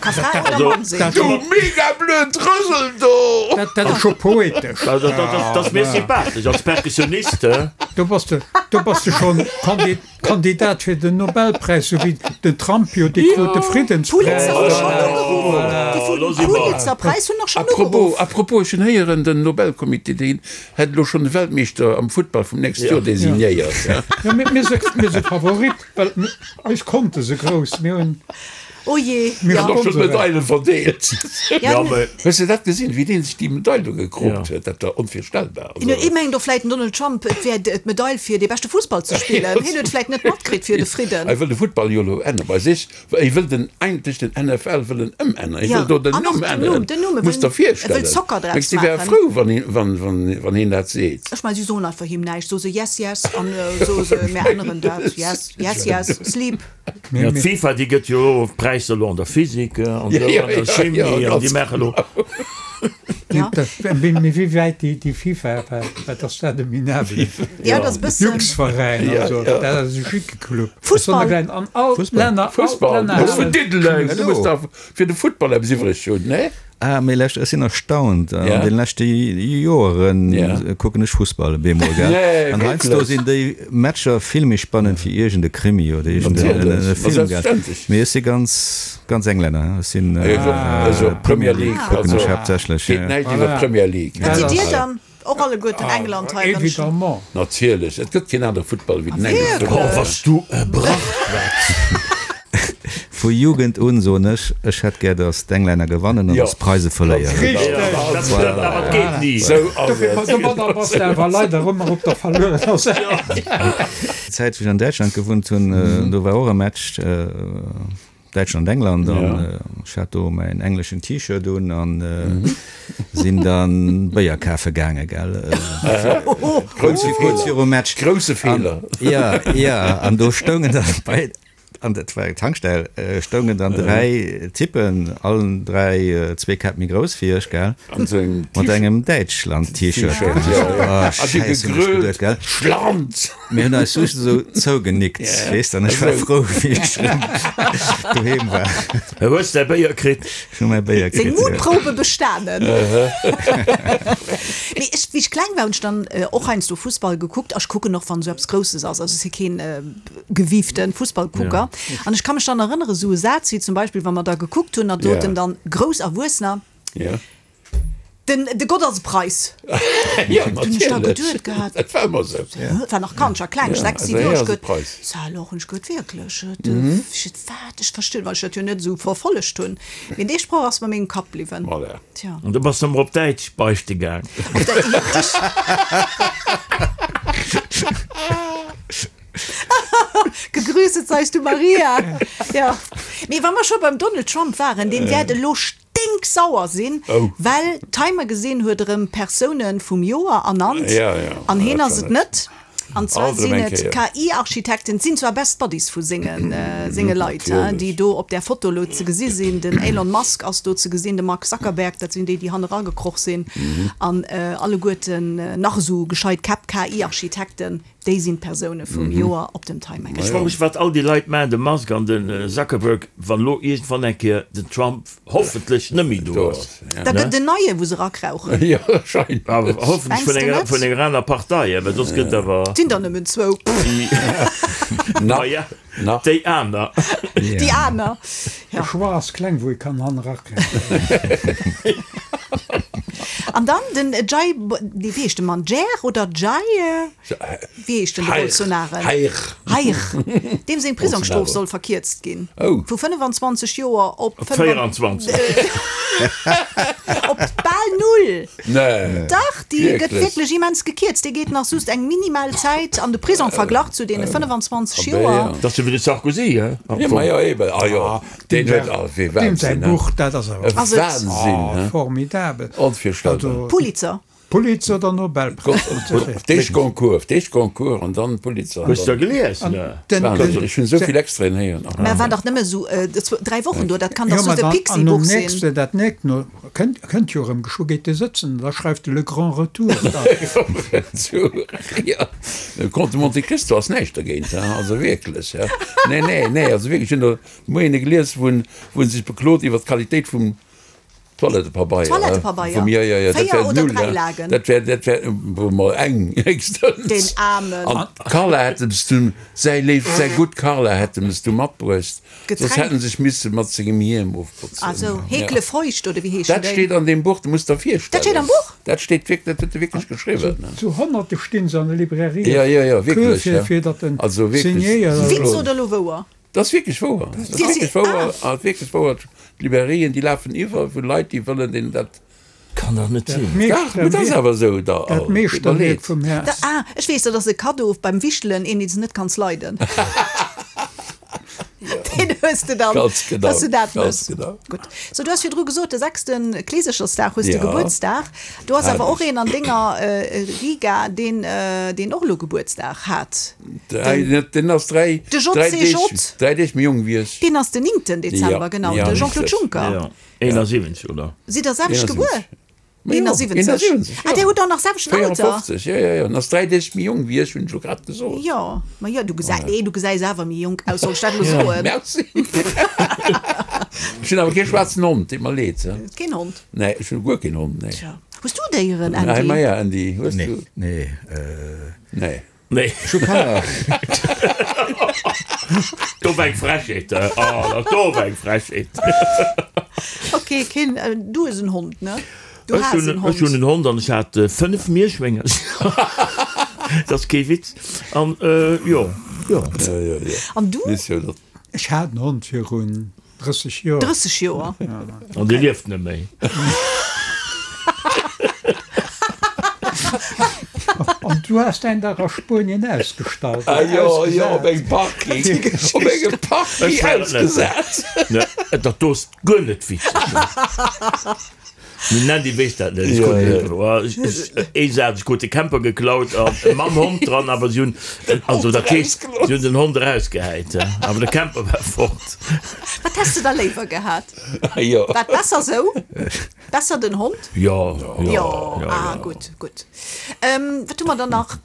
Ka Fra oder Mann sinn. Du mega blöd Rësel do! Dat dat ass scho poetesch. Dat dat ass mir sympathesch als Perkussionist, he. Do bass de, do bass de schonn Kandi Kandidat fir den Nobelpräis, sou wéi den Trump jo, dee krut de Friddenspräis. Pulitzer hu schonn ugeruff. Déi vum Pulitzer-Präis hunn och schonn ugeruff. À propos, ech hunn héieren, den Nobelcomité, deen hätt elo schonn de Weltmeeschter am Futtball vum nächste Joer designéiert. Jo, mir si Favorit, well eis Konte se grouss. Mir hunn. Oh jee, Mir ja. Hunn och schonn d'Medaile verdeelt. Ja, Hues de dat gesinn, wéi dee sech déi Medail do gekroopt huet? Dat war onvirstellbar. Hien huet, ee mengt och vläit den Donald Trump, et wär d'Medail fir dee beschte Fussball ze spillen. Hien huet vläit net matkritt fir de Fridden. Hie wëll de Futtball jo elo änneren bei sech. Hie wëll den eigentlech den NFL wëll en ëmänneren. Hie Ja, wëll do den an och Numm den Numm, änneren. den Numm, e Muss wëll, der e wëll virstellen. Soccer draus Mengs de, hie wär maachen. frou, wann hien, wann, wann, wann hien dat seet? Ech mengen, si soen einfach him näischt, soe se yes, yes an soe se, mir änneren dat, yes, yes, yes, sleep. Ja, d'FIFA, déi gëtt jo elo Präisser elo an der Physik an esou an der Chimie an déi maache elo. Ja. Mee wéi wäit déi FIFA, wat ass dat e minabele Jungsveräin, also dat ass e schicke Club. Fussball. An all d'Länner, all d'Länner Fussball, vun Diddeleng, du muss dach fir de Futtball eppes iwwreg hunn, ne? Ah, mee lescht, ech sinn erstaunt, an Ja. den leschte Joeren Ja. kucken ech Fussball op eemol, gell? Nee, An heiansdo wierklech? sinn déi Matcher vill méi spannend wéi iergend e Krimi oder iergend en Natierlech, ma Film, gell? selbstverständlech. Mee ech si ganz, ganz Englänner, ech sinn Ech och, ech och. Premier League, kucken also ech haaptsächlech, geet ja. näischt iwwer d'Premier League. Wat sidd Dir dann? Och alleguerten England hei wënschen. Évidemment. Natierlech, et gëtt keen anere Futtball wéi den englesche Wierklech? Oh, was du e Brachwetz! Vu Jugend un soen ech, ech hätt gär, datt d'Englänner gewannen an Jo. datt d'Preise verléieren. Richteg! Dat stëmmt, awer et geet ni. Sou ass Dofir, et. domadder bass de awer leider ëmmer op der verluerener Säit. Déi Zäit, wou ech an Däitschland gewunnt hunn, do war och e Match, Däitschland, England, an ech hat do mäin engleschen T-Shirt un an sinn dann Béier kafe gaange, gell. Grousse Kuerz virum Match. Grousse Feeler. Jo, jo, an do stoungen dann bei, an dat war eng Tankstell, stoungen dann 3 Typen, allen 3 zwee Käpp méi grouss wéi ech, gell, mat engem Däitschland-T-Shirt, gell. Oh, Schäiss, hunn ech geduet, gell. Schland! Mir hunn eis just esou zougenickt, weess de, an ech war frou, wéi ech erëm doheem war. Du hues däi Béier kritt? Ech hu mäi Béier Seng kritt, jo. Mutprobe bestanen. Mee ech, wéi ech kleng war, hunn ech dann och heiansdo Fussball gekuckt. A ech kucken och, wann esou eppes Grousses ass. Also ech si keen gewiefte Fussballkucker. An ech ka mech dann erënnere, esou e Saz wéi zum Beispill, wa mer da gekuckt hunn, a doten dann grouss Erwuessener, Den, de Gott ass e Preis. Jo, Hunn ech da natierlech. geduet gehat. Dat war ëmmer esou. Et war nach Kand, ech war kleng, Ja, 6, also 7 Joer, hie ech ass e geduet, Preis. Ça alors, hunn ech geduet, wierklech? Et, ech, wat? Ech verstinn, well ech dat jo net esou verfollegt hunn. Mee dee Sproch ass mer mengem Kapp bliwwen. Voilà. Tja. An du bass ëmmer op Däitsch beichte gaang. Op der, ech. eis du Maria. Jo. Mee wa mer scho beim Donald Trump waren, deen wäert elo stinksauer sinn, well Time Magazine huet erëm Persoune vum Joer ernannt an heen ass et net. An zwar sinn et KI-Architekten, et sinn zwar Best Buddies vu senge Leit, déi do op där Foto elo ze gesi sinn. Den Elon Musk ass do ze gesinn, de Mark Zuckerberg, dat sinn déi, déi hanne ragekroch sinn. An alleguerten nach esou gescheit Käpp, KI-Architekten, déi sinn d'Persoune vum Joer op dem Time Magazine. Ech froe mech, wat all déi Leit maachen, de Musk an de Zuckerberg, wann elo iergendwann eng Kéier den Trump Hoffentlech net méi do ass. Da gëtt en neie wou se erakrauchen. Jo, wahrscheinlech. Awer hoffentlech vun enger, vun enger aner Partei, well soss gëtt awer. Et sinn der nëmmen zwou. Nach, ja, nach. Déi aner. Déi aner, ja. De Choix ass kleng, wou ee kann han erakrauchen. An dann den Jai, nee, wéi heescht de Mann? Jair oder Jair? Wéi heescht den de Bolsonaro? Jair. Jair. Deem seng Prisongsstrof soll verkierzt ginn. Oh. Vu 25 Joer op 24. Op bal null. Nee. Dach, déi gëtt wierklech immens gekierzt. Dee geet nach just eng minimal Zäit an de Prisong, verglach zu deene 25 Joer. Dat ass jo wéi de Sarkozy, he? Jo, ma jo, eben. Ah jo, deen huet, ah, wee Deem säi Wahnsinn, he? Buch, dat ass awer. E Wahnsinn, he? Formidabel. Onvirstellbar. Pulitzer. Pulitzer oder Nobelpräis? D'éischt Goncourt, d'éischt Goncourt an dann Pulitzer. Hues de gelies? Wahnsinn, ech hunn esou vill Extraiten héieren. Mä war dach nëmme esou 3 Wochen do, dat kann dach just e Pixi-Buch sinn. An dat nächst no kënnt jo erëm, geschwë geet e sëtzen, da schreift e Le Grand Retour. Jo, de Comte de Monte Cristo ass näischt dergéint, also wierklech. Nee, nee, nee, also wierklech, ech hunn do de Moien e gelies, wou en sech beklot iwwer d'Qualitéit vum Toilettepabeier. Toilettepabeier. Vum, ja, ja, ja, dat Véier wär oder null, dräi ja. Lagen. Dat wär, dat wär mol eng héchstens. Den Aarmen. An d'Carla hätt ems dunn, säi léift, säi gutt Carla hätt ems du matbruecht, soss Getränk. hätt en sech misse mat sengem Hiem ofbotzen. Ah sou, Ja. Heekle feucht oder wéi heeschen Dat déi? steet an deem Buch, du muss der virstellen. Dat steet am Buch? Dat steet wierk, dat huet e wierklech geschriwwen. Zu Honnerte stinn se an de Librairien. Ja, ja, ja, Queue wierklech, fir, ja. fir datt en Also wierklech. signéiert. Witz oder elo wouer? Dat ass wierklech wouer. Dat ass wierklech wouer. Ah. Wierklech wouer. D'Librairien, déi lafen iwwer vu Leit, déi wëllen deenen dat. Kann dach net sinn. Dach, mee dat ass awer esou. Da, Dat Meeschterwierk vum Här. Ah, ech weess, dat ass e Kaddo beim Wichtelen, een, deen s de net kanns leiden. Deen hues de dann, Ganz genau, dass du dat ganz mëss. genau. Gutt. So, du has virdru gesot, de sechste Kleesechersdag hues de Ja. Gebuertsdag. Do ass awer och Herrlech. een an denger Riga, deen, deen och elo Gebuertsdag hat. Den, den ass dräi, De dräi JCJ. Deeg, dräi Deeg méi jonk wéi ech. Deen ass den 9. Dezember, Ja, genau, ja, de Jean-Claude richtig. Juncker. Ja, 71, oder? Sidd der selwecht 71. gebuer? Ma jo, 71. 71, Ah, jo. där hutt och nach selwechten Alter. 54, jo, jo, jo. En ass dräi Deeg méi jonk wéi ech, hunn ech jo grad gesot. Jo, ma jo, du gesäis, nee, du gesäis awer méi jonk aus, soll ech dat elo soen? Merci. Ech hunn awer kee schwaarzen Hond, deet mer leed. Keen Hond? Nee, ech hunn guer keen Hond, nee. Tja. Hues du Déieren, Andy? Nee, ma ja, Andy, hues Nee, du? nee, äh. Nee. Nee. Ech hu Kanner. Do war eng Frechheet, he? Oh, dat do war eng Frechheet. Ok, keen, du hues en Hond, ne? Du Ech has hunn, en Hond. ech hunn en Hond an ech hat 5 Mierschwéngercher. Dat ass kee Witz. An, jo, jo. An du? Ech hat en Hond virun 30 Joer. 30 Joer? An dee lieft net méi. An du has däin dach a Spuenien ausgestallt Ah oder jo, jo, op ausgesat. engem Parking, op engem Parking Ech war et net. ausgesat. Ne, dat do ass guer net witzeg. Den Andy weess dat net. Ech Ja, krut, ja. oh, ech, ech, ee Saz, ech krut de Camper geklaut a mam Hond dran, awer si hunn, also dat heescht, si hunn den Hond erausgehäit, awer de Camper war fort. Wat häss de da léiwer gehat? Jo. War et besser sou? Besser den Hond? Jo, jo, Jo, jo, ah jo. gutt, gutt. Wat hu mer dann nach?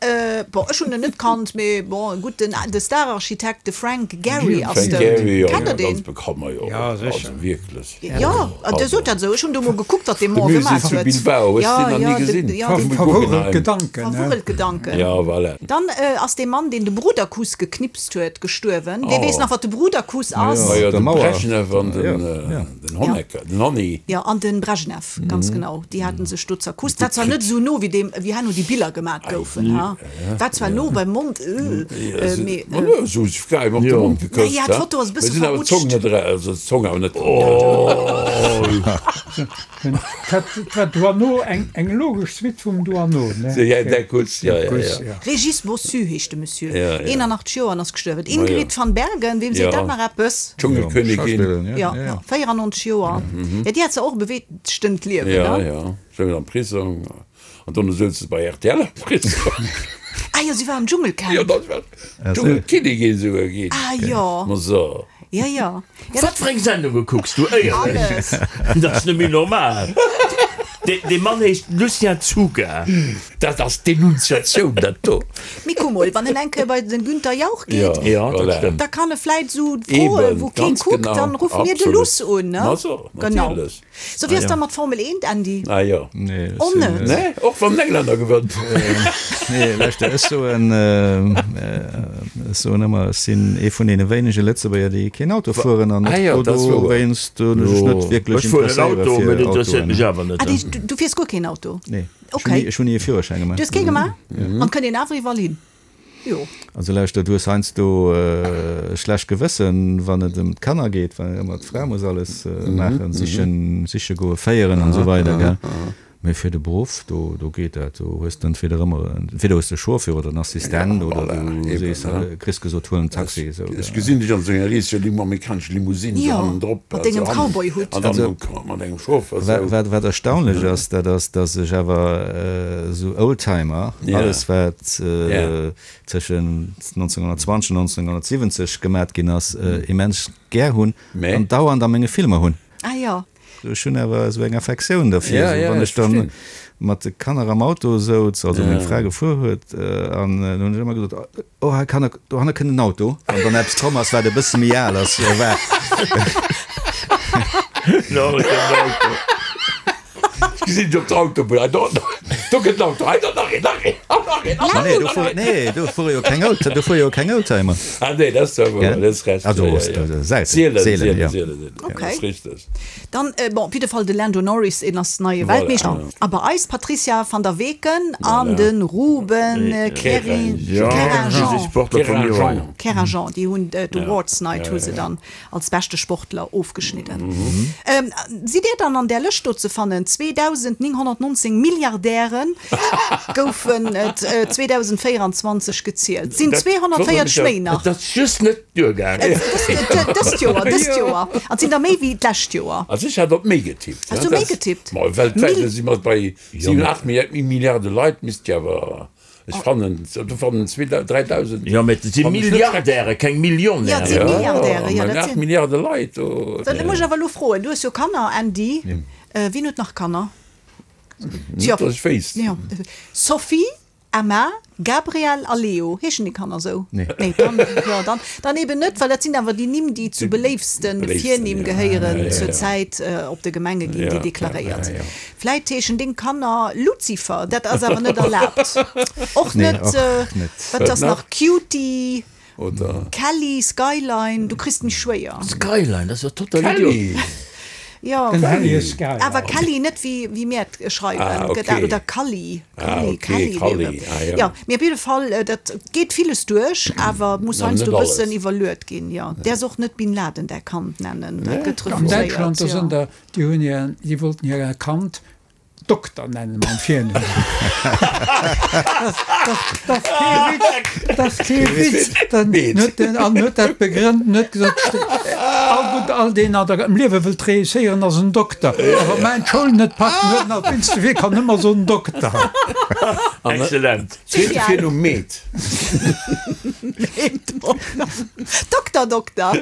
Bon, ech hunn en net kannt, mee bon, gutt, den, de Stararchitekt, de Frank Gehry ass Frank dout. Gehry, jo, Kennt der jo, ganz deen? bekannt, ma jo, Ja, sécher. also wierklech. Jo, Dir sot dat esou. Ech hunn do mol gekuckt, wat dee De Mann Musée gemaach zu huet. Bilbao, hues Ja, de deen nach ja, ni de, gesinn? ja, dee Vum Verwurrelt Guggenheim. Gedanken, ne? Verwurrelt Gedanken. Ja, voilà. Dann ass dee Mann, deen de Bruderkuss geknipst huet, gestuerwen. Wee weess Oh. nach, wat de Bruderkuss ass? Ma jo, Der de Mauer. Brezhnev an den, Ja, ja. den Honecker, den Honni. Jo, an den Brezhnev, ganz genau. Déi haten sech do zerkusst. War zwar net esou no, wéi deem, wéi herno déi Biller gemat goufen, ha. War zwar no beim Mond, äh, mee. Ma jo, esou hu sech geheim op de Mond gekësst, Ja, ha. d'Foto ass e Mee bësse sinn awer d'Zong verrutscht. net era, also d'Zong awer net. Dat war Doineau, eng logesch Suite vum Doineau, ne? Régis Bossu heescht de Monsieur, 81 Joer an ass gestuerwen. Ingrid van Bergen, weem seet dat nach eppes? Dschungelkönigin. Jo, 94 Joer. Jo, déi hat zwar och e beweegtent Liewen, ne? Jo, jo, souz am Prisong an dono souz se bei rtl am Prisong. Ah jo, si war am Dschungelcamp. Jo, dat war Dschungelkinnigin souguer ginn. Ah jo. Ma so. Jo, jo. Wat fir eng Sendunge kucks du? Éierlech, dat ass net méi normal. Dee Mann heescht Lucien Czuga. Dat ass Denunziatioun, dat do. Mee kuck mol, wann en eng Kéier bei den Günther Jauch geet, da kann e vläit esou froen, wou kee kuckt, dann ruffe mir de Luss un, ne? Genau. Sou, wéi ass da mat Formel 1, Andy? Ah jo. Nee, Och net? Nee, och wann den Englänner gewënnt. Nee, lauschter, ech soen, ech soen ëmmer, ech sinn ee vun deene wéinege Lëtzebuerger, déi keen Auto fueren an och do dowéinst hunn ech mech net wierklech Ech fueren en interesséiere Auto, fir mee dat interesséiert Autoen. mech awer net. Ah, du, du fiers guer keen Auto? Nee, ech Okay. hunn ni, ech hunn ni e Führerschäin gemaach. Du hues kee gemaach? An kënnt een awer iwwerall hin? Jo. Also lauschter, du hues heiansdo e schlecht Gewëssen, wann et ëm d'Kanner geet, well ëmmer d'Fra muss alles maachen, sichen, siche goen, féieren an esou weider, gell. Mee fir de Beruff, do, do geet dat. Do hues de entweder ëmmer, entweder hues de e Chauffeur oder en Assistent oder du sees, kriss gesot, huel en Taxi, esou, Ech gesinn dech an esou enger riseger Limo, amerikanescher Limousine, esou Jo, hannendrop, mat dengem Cowboyhutt. an dann mat engem Chauffeur, esou. Wat, wat erstaunlech ass, dat ass, dass ech awer esou Oldtimer, alles wat tëschent 1920 an 1970 gemat ginn ass, immens gär hunn an dauernd a menge Filmer hunn. Ah jo. Ech hunn awer esou eng Affektioun derfir, esou wann ech dann mat de Kanner am Auto souz, also meng Fra gefuer huet, an dann hunn ech ëmmer gesot, oh hei kann, dohanne kënnt en Auto, wann dann eppes komm ass, wat e bësse méi al ass, war. Dohanne kënnt en Auto. Ech gesinn dech op der Autobunn, hei do, do kënnt en Auto, hei do nach een, nach een, an nach een, an Ma nee, do fuere, nee, do fuere jo keng Old, do fuere jo keng Oldtimer. Ah nee, dat ass zwar wouer, dat ass recht. Also, ja, ja, ja. selten, Sielen, seelen, sielen, ja. sielen, sielen. Okay. Dat ass richteg. Dann, bon, op jidde Fall de Lando Norris, en ass neie Voilà. Weltmeeschter. A bei eis d'Patricia van der Weken an de Ruben Querinjean. Querinjean. Querinjean, déi hunn d'Awards Night hu se dann als beschte Sportler ofgeschnidden. Sidd Dir dann an där Lëscht do ze fannen? 2.919 Milliardäre goufen et 2024 gezielt. Et sinn 240 méi nach. Et ass just net duergaangen. Dëst Joer, dëst Joer. An et sinn der méi wéi d'lescht Joer. Also ech hat op méi getippt. Has du méi getippt? Ma weltwäit si mer bei 7, 8 Milliarde Leit, misst jo awer. Ech fannen, do fannen 3.000. Jo, mä et si Milliardäre, keng Millionären. Jo, et si Milliardäre, jo, dat sinn. 8 Milliarde Leit do. Da muss ech awer elo froen, du hues jo Kanner, Andy. Wien huet nach Kanner? Net, datt ech wéisst. Jo, Sophie, Emma, Gabriel a Leo. Heeschen déi Kanner esou? Nee. Nee, dann, jo, dann, dann eben net, well dat sinn awer déi Nimm, déi zu beléiftste Virnimm gehéieren zur Zäit op de Gemenge ginn déi deklaréiert. Vläit heeschen deng Kanner Luzifer, dat ass awer net erlaabt. Och net, wat ass nach, Cutie, Kelly, Skyline, du kriss mech schwéier. Skyline, dat ass jo total idiot. Jo, awer Kelly net wéi mir et schreiwen, gëtt oder Kalli, Kalli, Kelly, jo, mee op jidde Fall, dat geet villes duerch, awer muss heiansdo e bëssen iwwerluet ginn, jo. Däers och net Bin Laden däi Kand nennen, dat gëtt refuséiert, jo. Déi hunn hir, déi wollten hir Kand Dokter nennen mam Virnumm. Dat ass kee Witz, dat ass kee Witz. Dann huet en, an huet dat begrënnt en huet gesot, all gutt, all deen an der, am Liewe wëllt réusséieren, ass en Dokter. A wa mäin d'Schoul net packt, dann huet en alt wéinst de Wee kann ëmmer soen Dokter. Excellent. Zweete Virnumm Meet. Dokter, Dokter.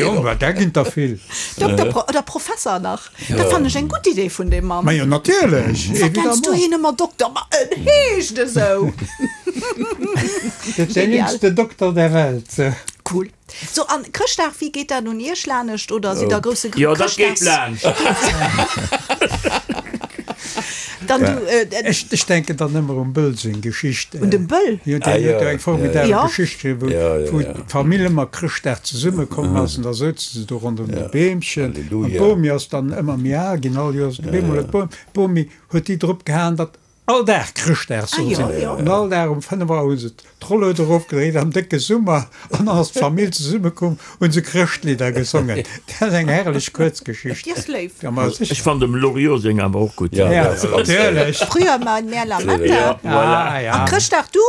Jo, ma där ginn der vill. Dokter Pro oder Professer nach. Dat fannen ech eng gutt Idee vun deem Mann. Ma jo, natierlech, Wat nenns du évidemment. hien ëmmer Dokter? Ma en heescht esou. Dat ass den jéngste Dokter der Welt. Cool. So, an Chrëschtdag, wéi geet dat un Iech lanescht oder sidd der grousse Jo, dat geet Chrëschtdags? laanscht. Dann du, äh, Ech, ech denken dann ëmmer um Böll seng Geschicht. Un dem Böll? Jo, deen huet jo eng formidabel Ja. Geschicht geschriwwen, wou, Ja, ja, wou ja. d'Famill ëmmer Chrëschtdag zesummekomm ass an da souze se do ronderëm de Beemchen. An Halleluja. d'Bomi ass dann ëmmer méi al ginn, all Joers. Op eemol huet d'Bomi huet déi drop gehaen, datt. all Dag Chrëschtdag soll sinn. An all Dag um 5 Auer hu se d'Rollued erofgedréit am décke Summer an dann ass d'Famill zesummekomm, hu se Chrëschtlidder gesongen. Dat ass eng herrlech Kuerzgeschicht. Déi ass léif. Ja, ma Ech sécher. fannen dem Loriot seng awer och gutt. Ja, dat ass ganz léif. Natierlech. Früher mal mehr Lametta. Ja, voilà. Ah, ja. A Chrëschtdag du?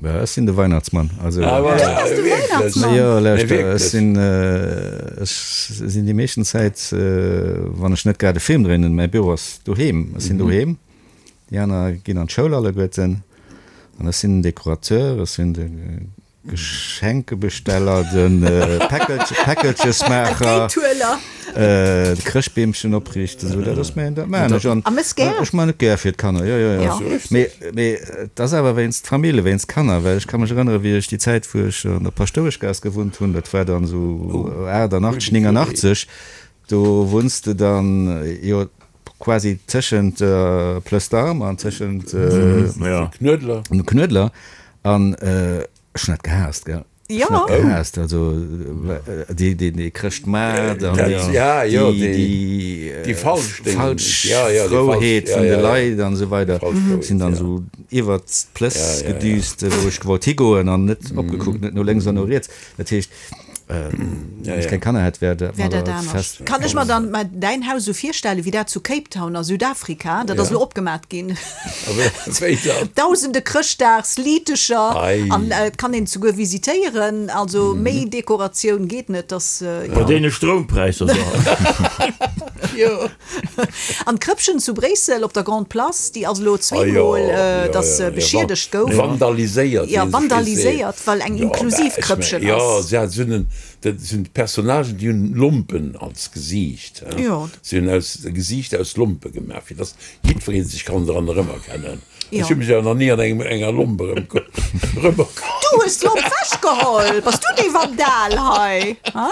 Bah, ech sinn de Weihnachtsmann. Also, Ah, voilà. Du bass de Wierklech? Weihnachtsmann? Jo, Nee, lauschter, ech wierklech. sinn, ech sinn déi meeschten Zäit, wann ech net grad e Film dréinen, mäi Büro ass doheem, ech sinn doheem, déi aner ginn an d'Schoul alleguerten, an ech sinn den Dekorateur, ech sinn de Geschenkebesteller, de Päckelchesmaacher, de Chrëschtbeemchen opriichten, esou, dat ass mäin, dat maachen ech. An ech maachen et gär fir d'Kanner, jo, jo, jo. Mee, mee et ass awer wéinst d'Famill, wéinst d'Kanner, well ech ka mech erënneren, wéi ech déi Zäit, wou ech an der Paschtoueschgaass gewunnt hunn, dat war dann esou 88, 89, do wunns de dann, jo, quasi tëschent der Plëss d'Armes an tëschent dem Knuedler an ech hunn dat gehaasst, gell. Ech hunn dat gehaasst, also dee Chrëschtmaart an déi falsch Frouheet vun de Leit an esou weider. Sinn dann esou iwwert d'Plëss gedüst, wou ech gewollt higoen an net opgekuckt, net no lénks an no riets. Dat heescht, Wann ech keng Kanner hätt, wär dat Wär dat anescht. Kann ech mer dann mä däin Haus esou virstellen, wéi dat zu Cape Town a Südafrika, dat ass elo opgemat ginn. Wéi dann? Dausende Chrëschtdagsliitecher an et kann een souguer visitéieren. Also méi Dekoratioun geet net, dass, jo. Bei deene Stroumpräisser da. Jo. An d'Krëppchen zu Bréissel op der Grande Place, déi ass elo zweemol, dass beschiedegt gouf. Vandaliséiert. Jo, vandaliséiert, well eng inklusiv Krëppchen ass. Jo, se hat esou en, dat sinn d'Personnagen, déi hunn Lompen als Gesiicht. Jo. Se hunn aus, e Gesiicht aus Lompe gemaach, fir dass jiddweree sech kann dran erëmerkennen. Ech hu mech awer nach ni an engem, enger Lomp erëmerkannt. Du hues d'Lomp wechgeholl! Bass du dee Vandal hei, ha?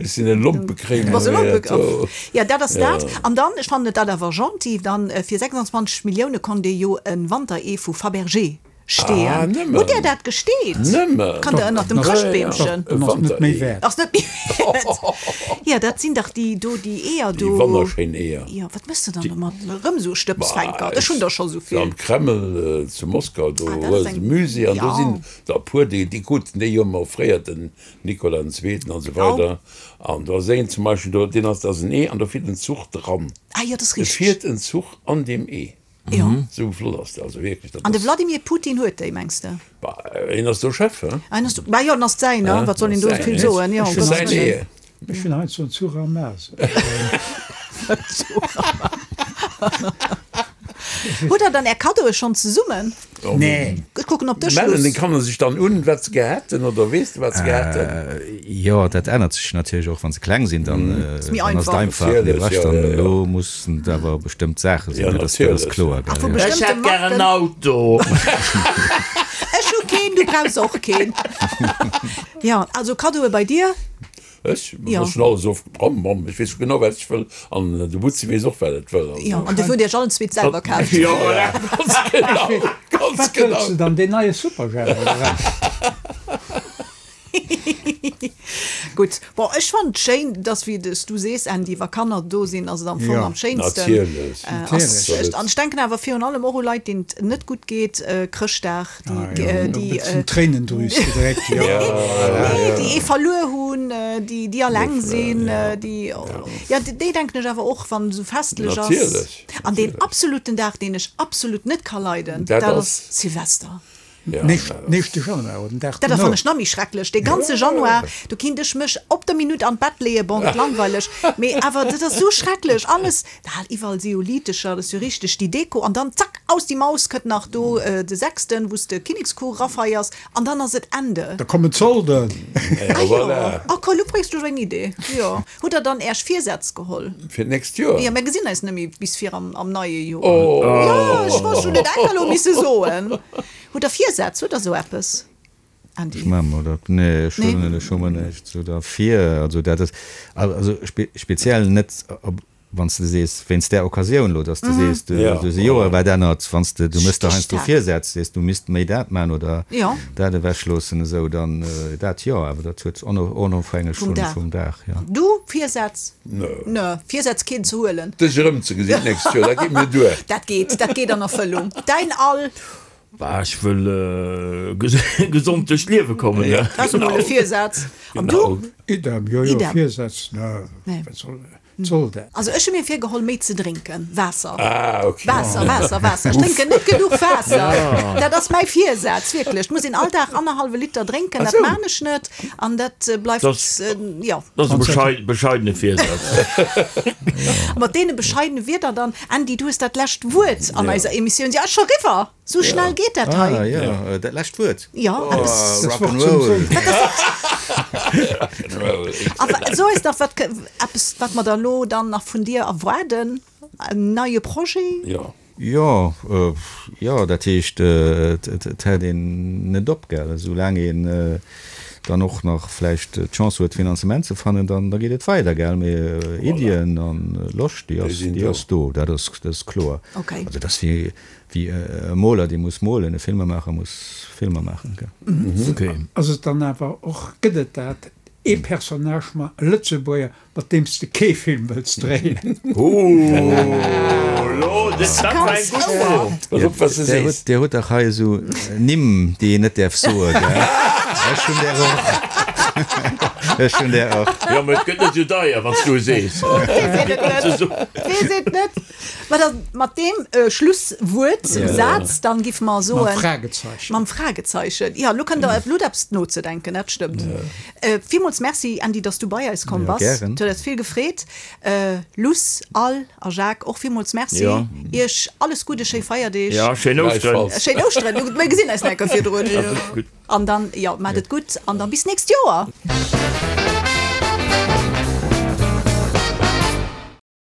Ech sinn e Lompekréimer. Bass e Lompekréimer. Jo, dat ass dat. An dann, ech fannen et dat awer gentil, dann fir 26 Millioune konnt ee jo e Wanteree vu Fabergé steeën. Ah, nëmmen. Hutt Där dat gesteet? Nëmmen. Kann der ënnert dem Chrëschtbeemchen. E Ass net méi Wanteree. wäert. Ass net méi wäert. Jo, dat sinn dach déi do, déi Eeër do. Déi wonnerschéin Eeër. Jo, wat méchs de dann domat? Erëm esou Stëbsfänker? Ech hunn der scho esou vill. Am Kreml zu Moskau, do Ah, dat hues ass de eng. Musée an do Jo. sinn der e puer, déi, déi kruten déi jo ëmmer offréiert, den Nicolas den Zweeten an esou weider. An do ass een zum Beispill do, deen ass, dat ass en Ee an do fiert en Zuch dran. Ah jo, dat ass Et richteg. fiert en Zuch an deem Ee. Jo. Esou flott ass dat, also wierklech, dat An de ass. Vladimir Putin huet déi, mengs de? Bah, hien ass do Chef, he? Ah, hien ass do, bah jo, en ass säin, ne? Wat soll een do Säin, vill soen? Jo, um Gottes Säin Wëllen. Ee. Ech hunn heiansdo en Zuch am Maas. Hutt der dann är Kaddoe schonn zesummen? Nee. Ech kucken op dech, Mellen Luss. den Kanner sech dann un, wat se gär hätten, oder weess de, wat se gär hätten? Jo, dat ännert sech natierlech och, wann se kleng sinn, dann Ass méi ass et einfach. einfach. Mee Natierlech, brech jo, dann jo, jo. elo mussen et awer bestëmmt Saache sinn, Jo, dat ass, dat ass natierlech. kloer, Ach, vu gell, jo. Ech bestëmmte hätt gär en Marken. Auto. Ech hu keen, du brauchs och keen. Jo, also Kaddoe bei dir? Ech? Jo. Ech hunn alles of, bam, bam, ech weess genau, wat ech wëll. An de Butzi weess och, wat et wëll. Also. Jo, an dofir hutt Dir iech allen zweet selwer kaaft. Jo, voilà. Ganz genau, ganz Wat wëlls genau. de dann? Deen neie Superjhemp, oder wat? Gutt, bon, ech fannen et schéin, dass, wéi s du sees, Andy, wa Kanner do sinn, ass et am Fong Jo. am schéinsten. Natierlech. Ass, Natierlech. an ech denken awer virun allem och u Leit, deenen et net gutt geet, Chrëschtdag, déi, déi, D'Tréinendrüs gedréckt, jo. Nee, déi ee verluer hunn, déi, déi alleng sinn, déi, jo, déi denken ech awer och, wann esou festlech ass. Natierlech. An deen absoluten Dag, deen ech absolut net ka leiden, Dat dat ass? ass Silvester. Nächste Januar oder den Dag Dat dono. fannen ech nach méi schrecklech, dee ganze Januar, do kinnt ech mech op der Minutt an d'Bett leeën, bon, et langweileg, mee awer dat ass sou schrecklech alles, da iwwerall si jo Liitecher, dat ass jo richteg déi Deko, an dann zack, aus die Maus kënnt nach do de sechsten, wou s de Kinnekscours erafeiers, an dann ass et Ende. Da kommen d'Solden. Ah jo, oh cool, lo bréngs du eng Idee, jo. Hutt der dann äerch Virsätz geholl? Fir d'nächst Joer? Jo, mir gesinn eis net méi bis vir am neie Joer. Jo, ech wollt schon et enker elo misse soen. Hutt der Virsätz? Hutt der sou eppes, Andy? Ech maache mer dat, nee, ech Nee? hunn ech hu mer näischt sou derfir. Also dat ass, also speziell net op. Wann s de sees, wéinst där Occasioun elo, dass de sees, du hues e Joer wat ännert, wann s de, du méchs der heiansdo Virsätz, sees, du misst méi dat maachen oder dat ewechloossen esou, dann dat jo, awer dat huet onofhängeg vum Dag, jo. Du, Virsätz? Nö. Virsätz keen ze huelen? Dech erëmzegesinn d'nächst Joer, dat geet mir duer. Dat geet, dat geet an Erfëllung. Däin Al? Bah, ech wëll gesond duerch d'Liewe kommen. Dat ass emol e Virsaz. An du? Idem, jo, jo, Virsätz, nö, wat soll. Soll dat? Also ech hu mir virgeholl méi ze drénken, Waasser. Ah ok. Waasser, Waasser, Waasser. Ech drénken net genuch Waasser. Dat ass mäi Virsaz, wierklech. Et muss een all Dag annerhallwe Liter drénken, dat maan ech net an dat bleift, jo. Dat ass e bescheidene Virsaz. A mat deene bescheidene Wierder dann, Andy, du hues dat lescht Wuert an eiser Emissioun. Si ass scho riwwer! Sou schnell geet dat hei. Ah jo, dat lescht Wuert. Jo, eppes. Das Wort zum Sonntag. A so eis dach wat, eppes wat mer da lo dann nach vun dir erwaarden, en neie Projet? Jo. Jo, jo, dat heescht, et hält een net op, gell. Esou laang een dann och nach vläicht d'Chance huet Finanzement ze fannen, dann da geet et weider, gell. Mee Iddien an Loscht, déi ass, déi ass do, dat ass, dat ass kloer. Also dat ass wéi Wéi e Moler, dee muss molen, e Filmemaacher muss Filmer maachen, gell. Ass et dann awer och, gëtt et dat, ee Personnage, ma e Lëtzebuerger, mat deem s de kee Film wëlls dréien? Ooh, lo, dat war eng gutt Fro. Pass op, wat s de sees. Dir hutt dach hei esou Nimm, déi een net däerf soen, gell? Ech hunn där och. Ech hunn där och. Jo, mä et gëtt net esou deier, wann s du e sees. Weess een et net. Weess een et net. Mä da mat deem Schlusswuert, Saz, dann giffe mer soen. Mam Fragezeichen. Mam Fragezeichen. Jo, elo kënnt der, elo hutt eppes nozedenken, dat stëmmt. Villmools Merci, Andy, dass du bei eis komm bass. Jo, gären. Et huet eis vill gefreet. Luss, Al a Jacques, och villmools Merci. Jo. Iech alles Gudde, schéi Feierdeeg. Jo, schéin Ouschteren. Schéin Ouschteren. Mir gesinn eis nach eng Kéier virdrun. An dann, jo, maacht et gutt an dann bis nächst Joer.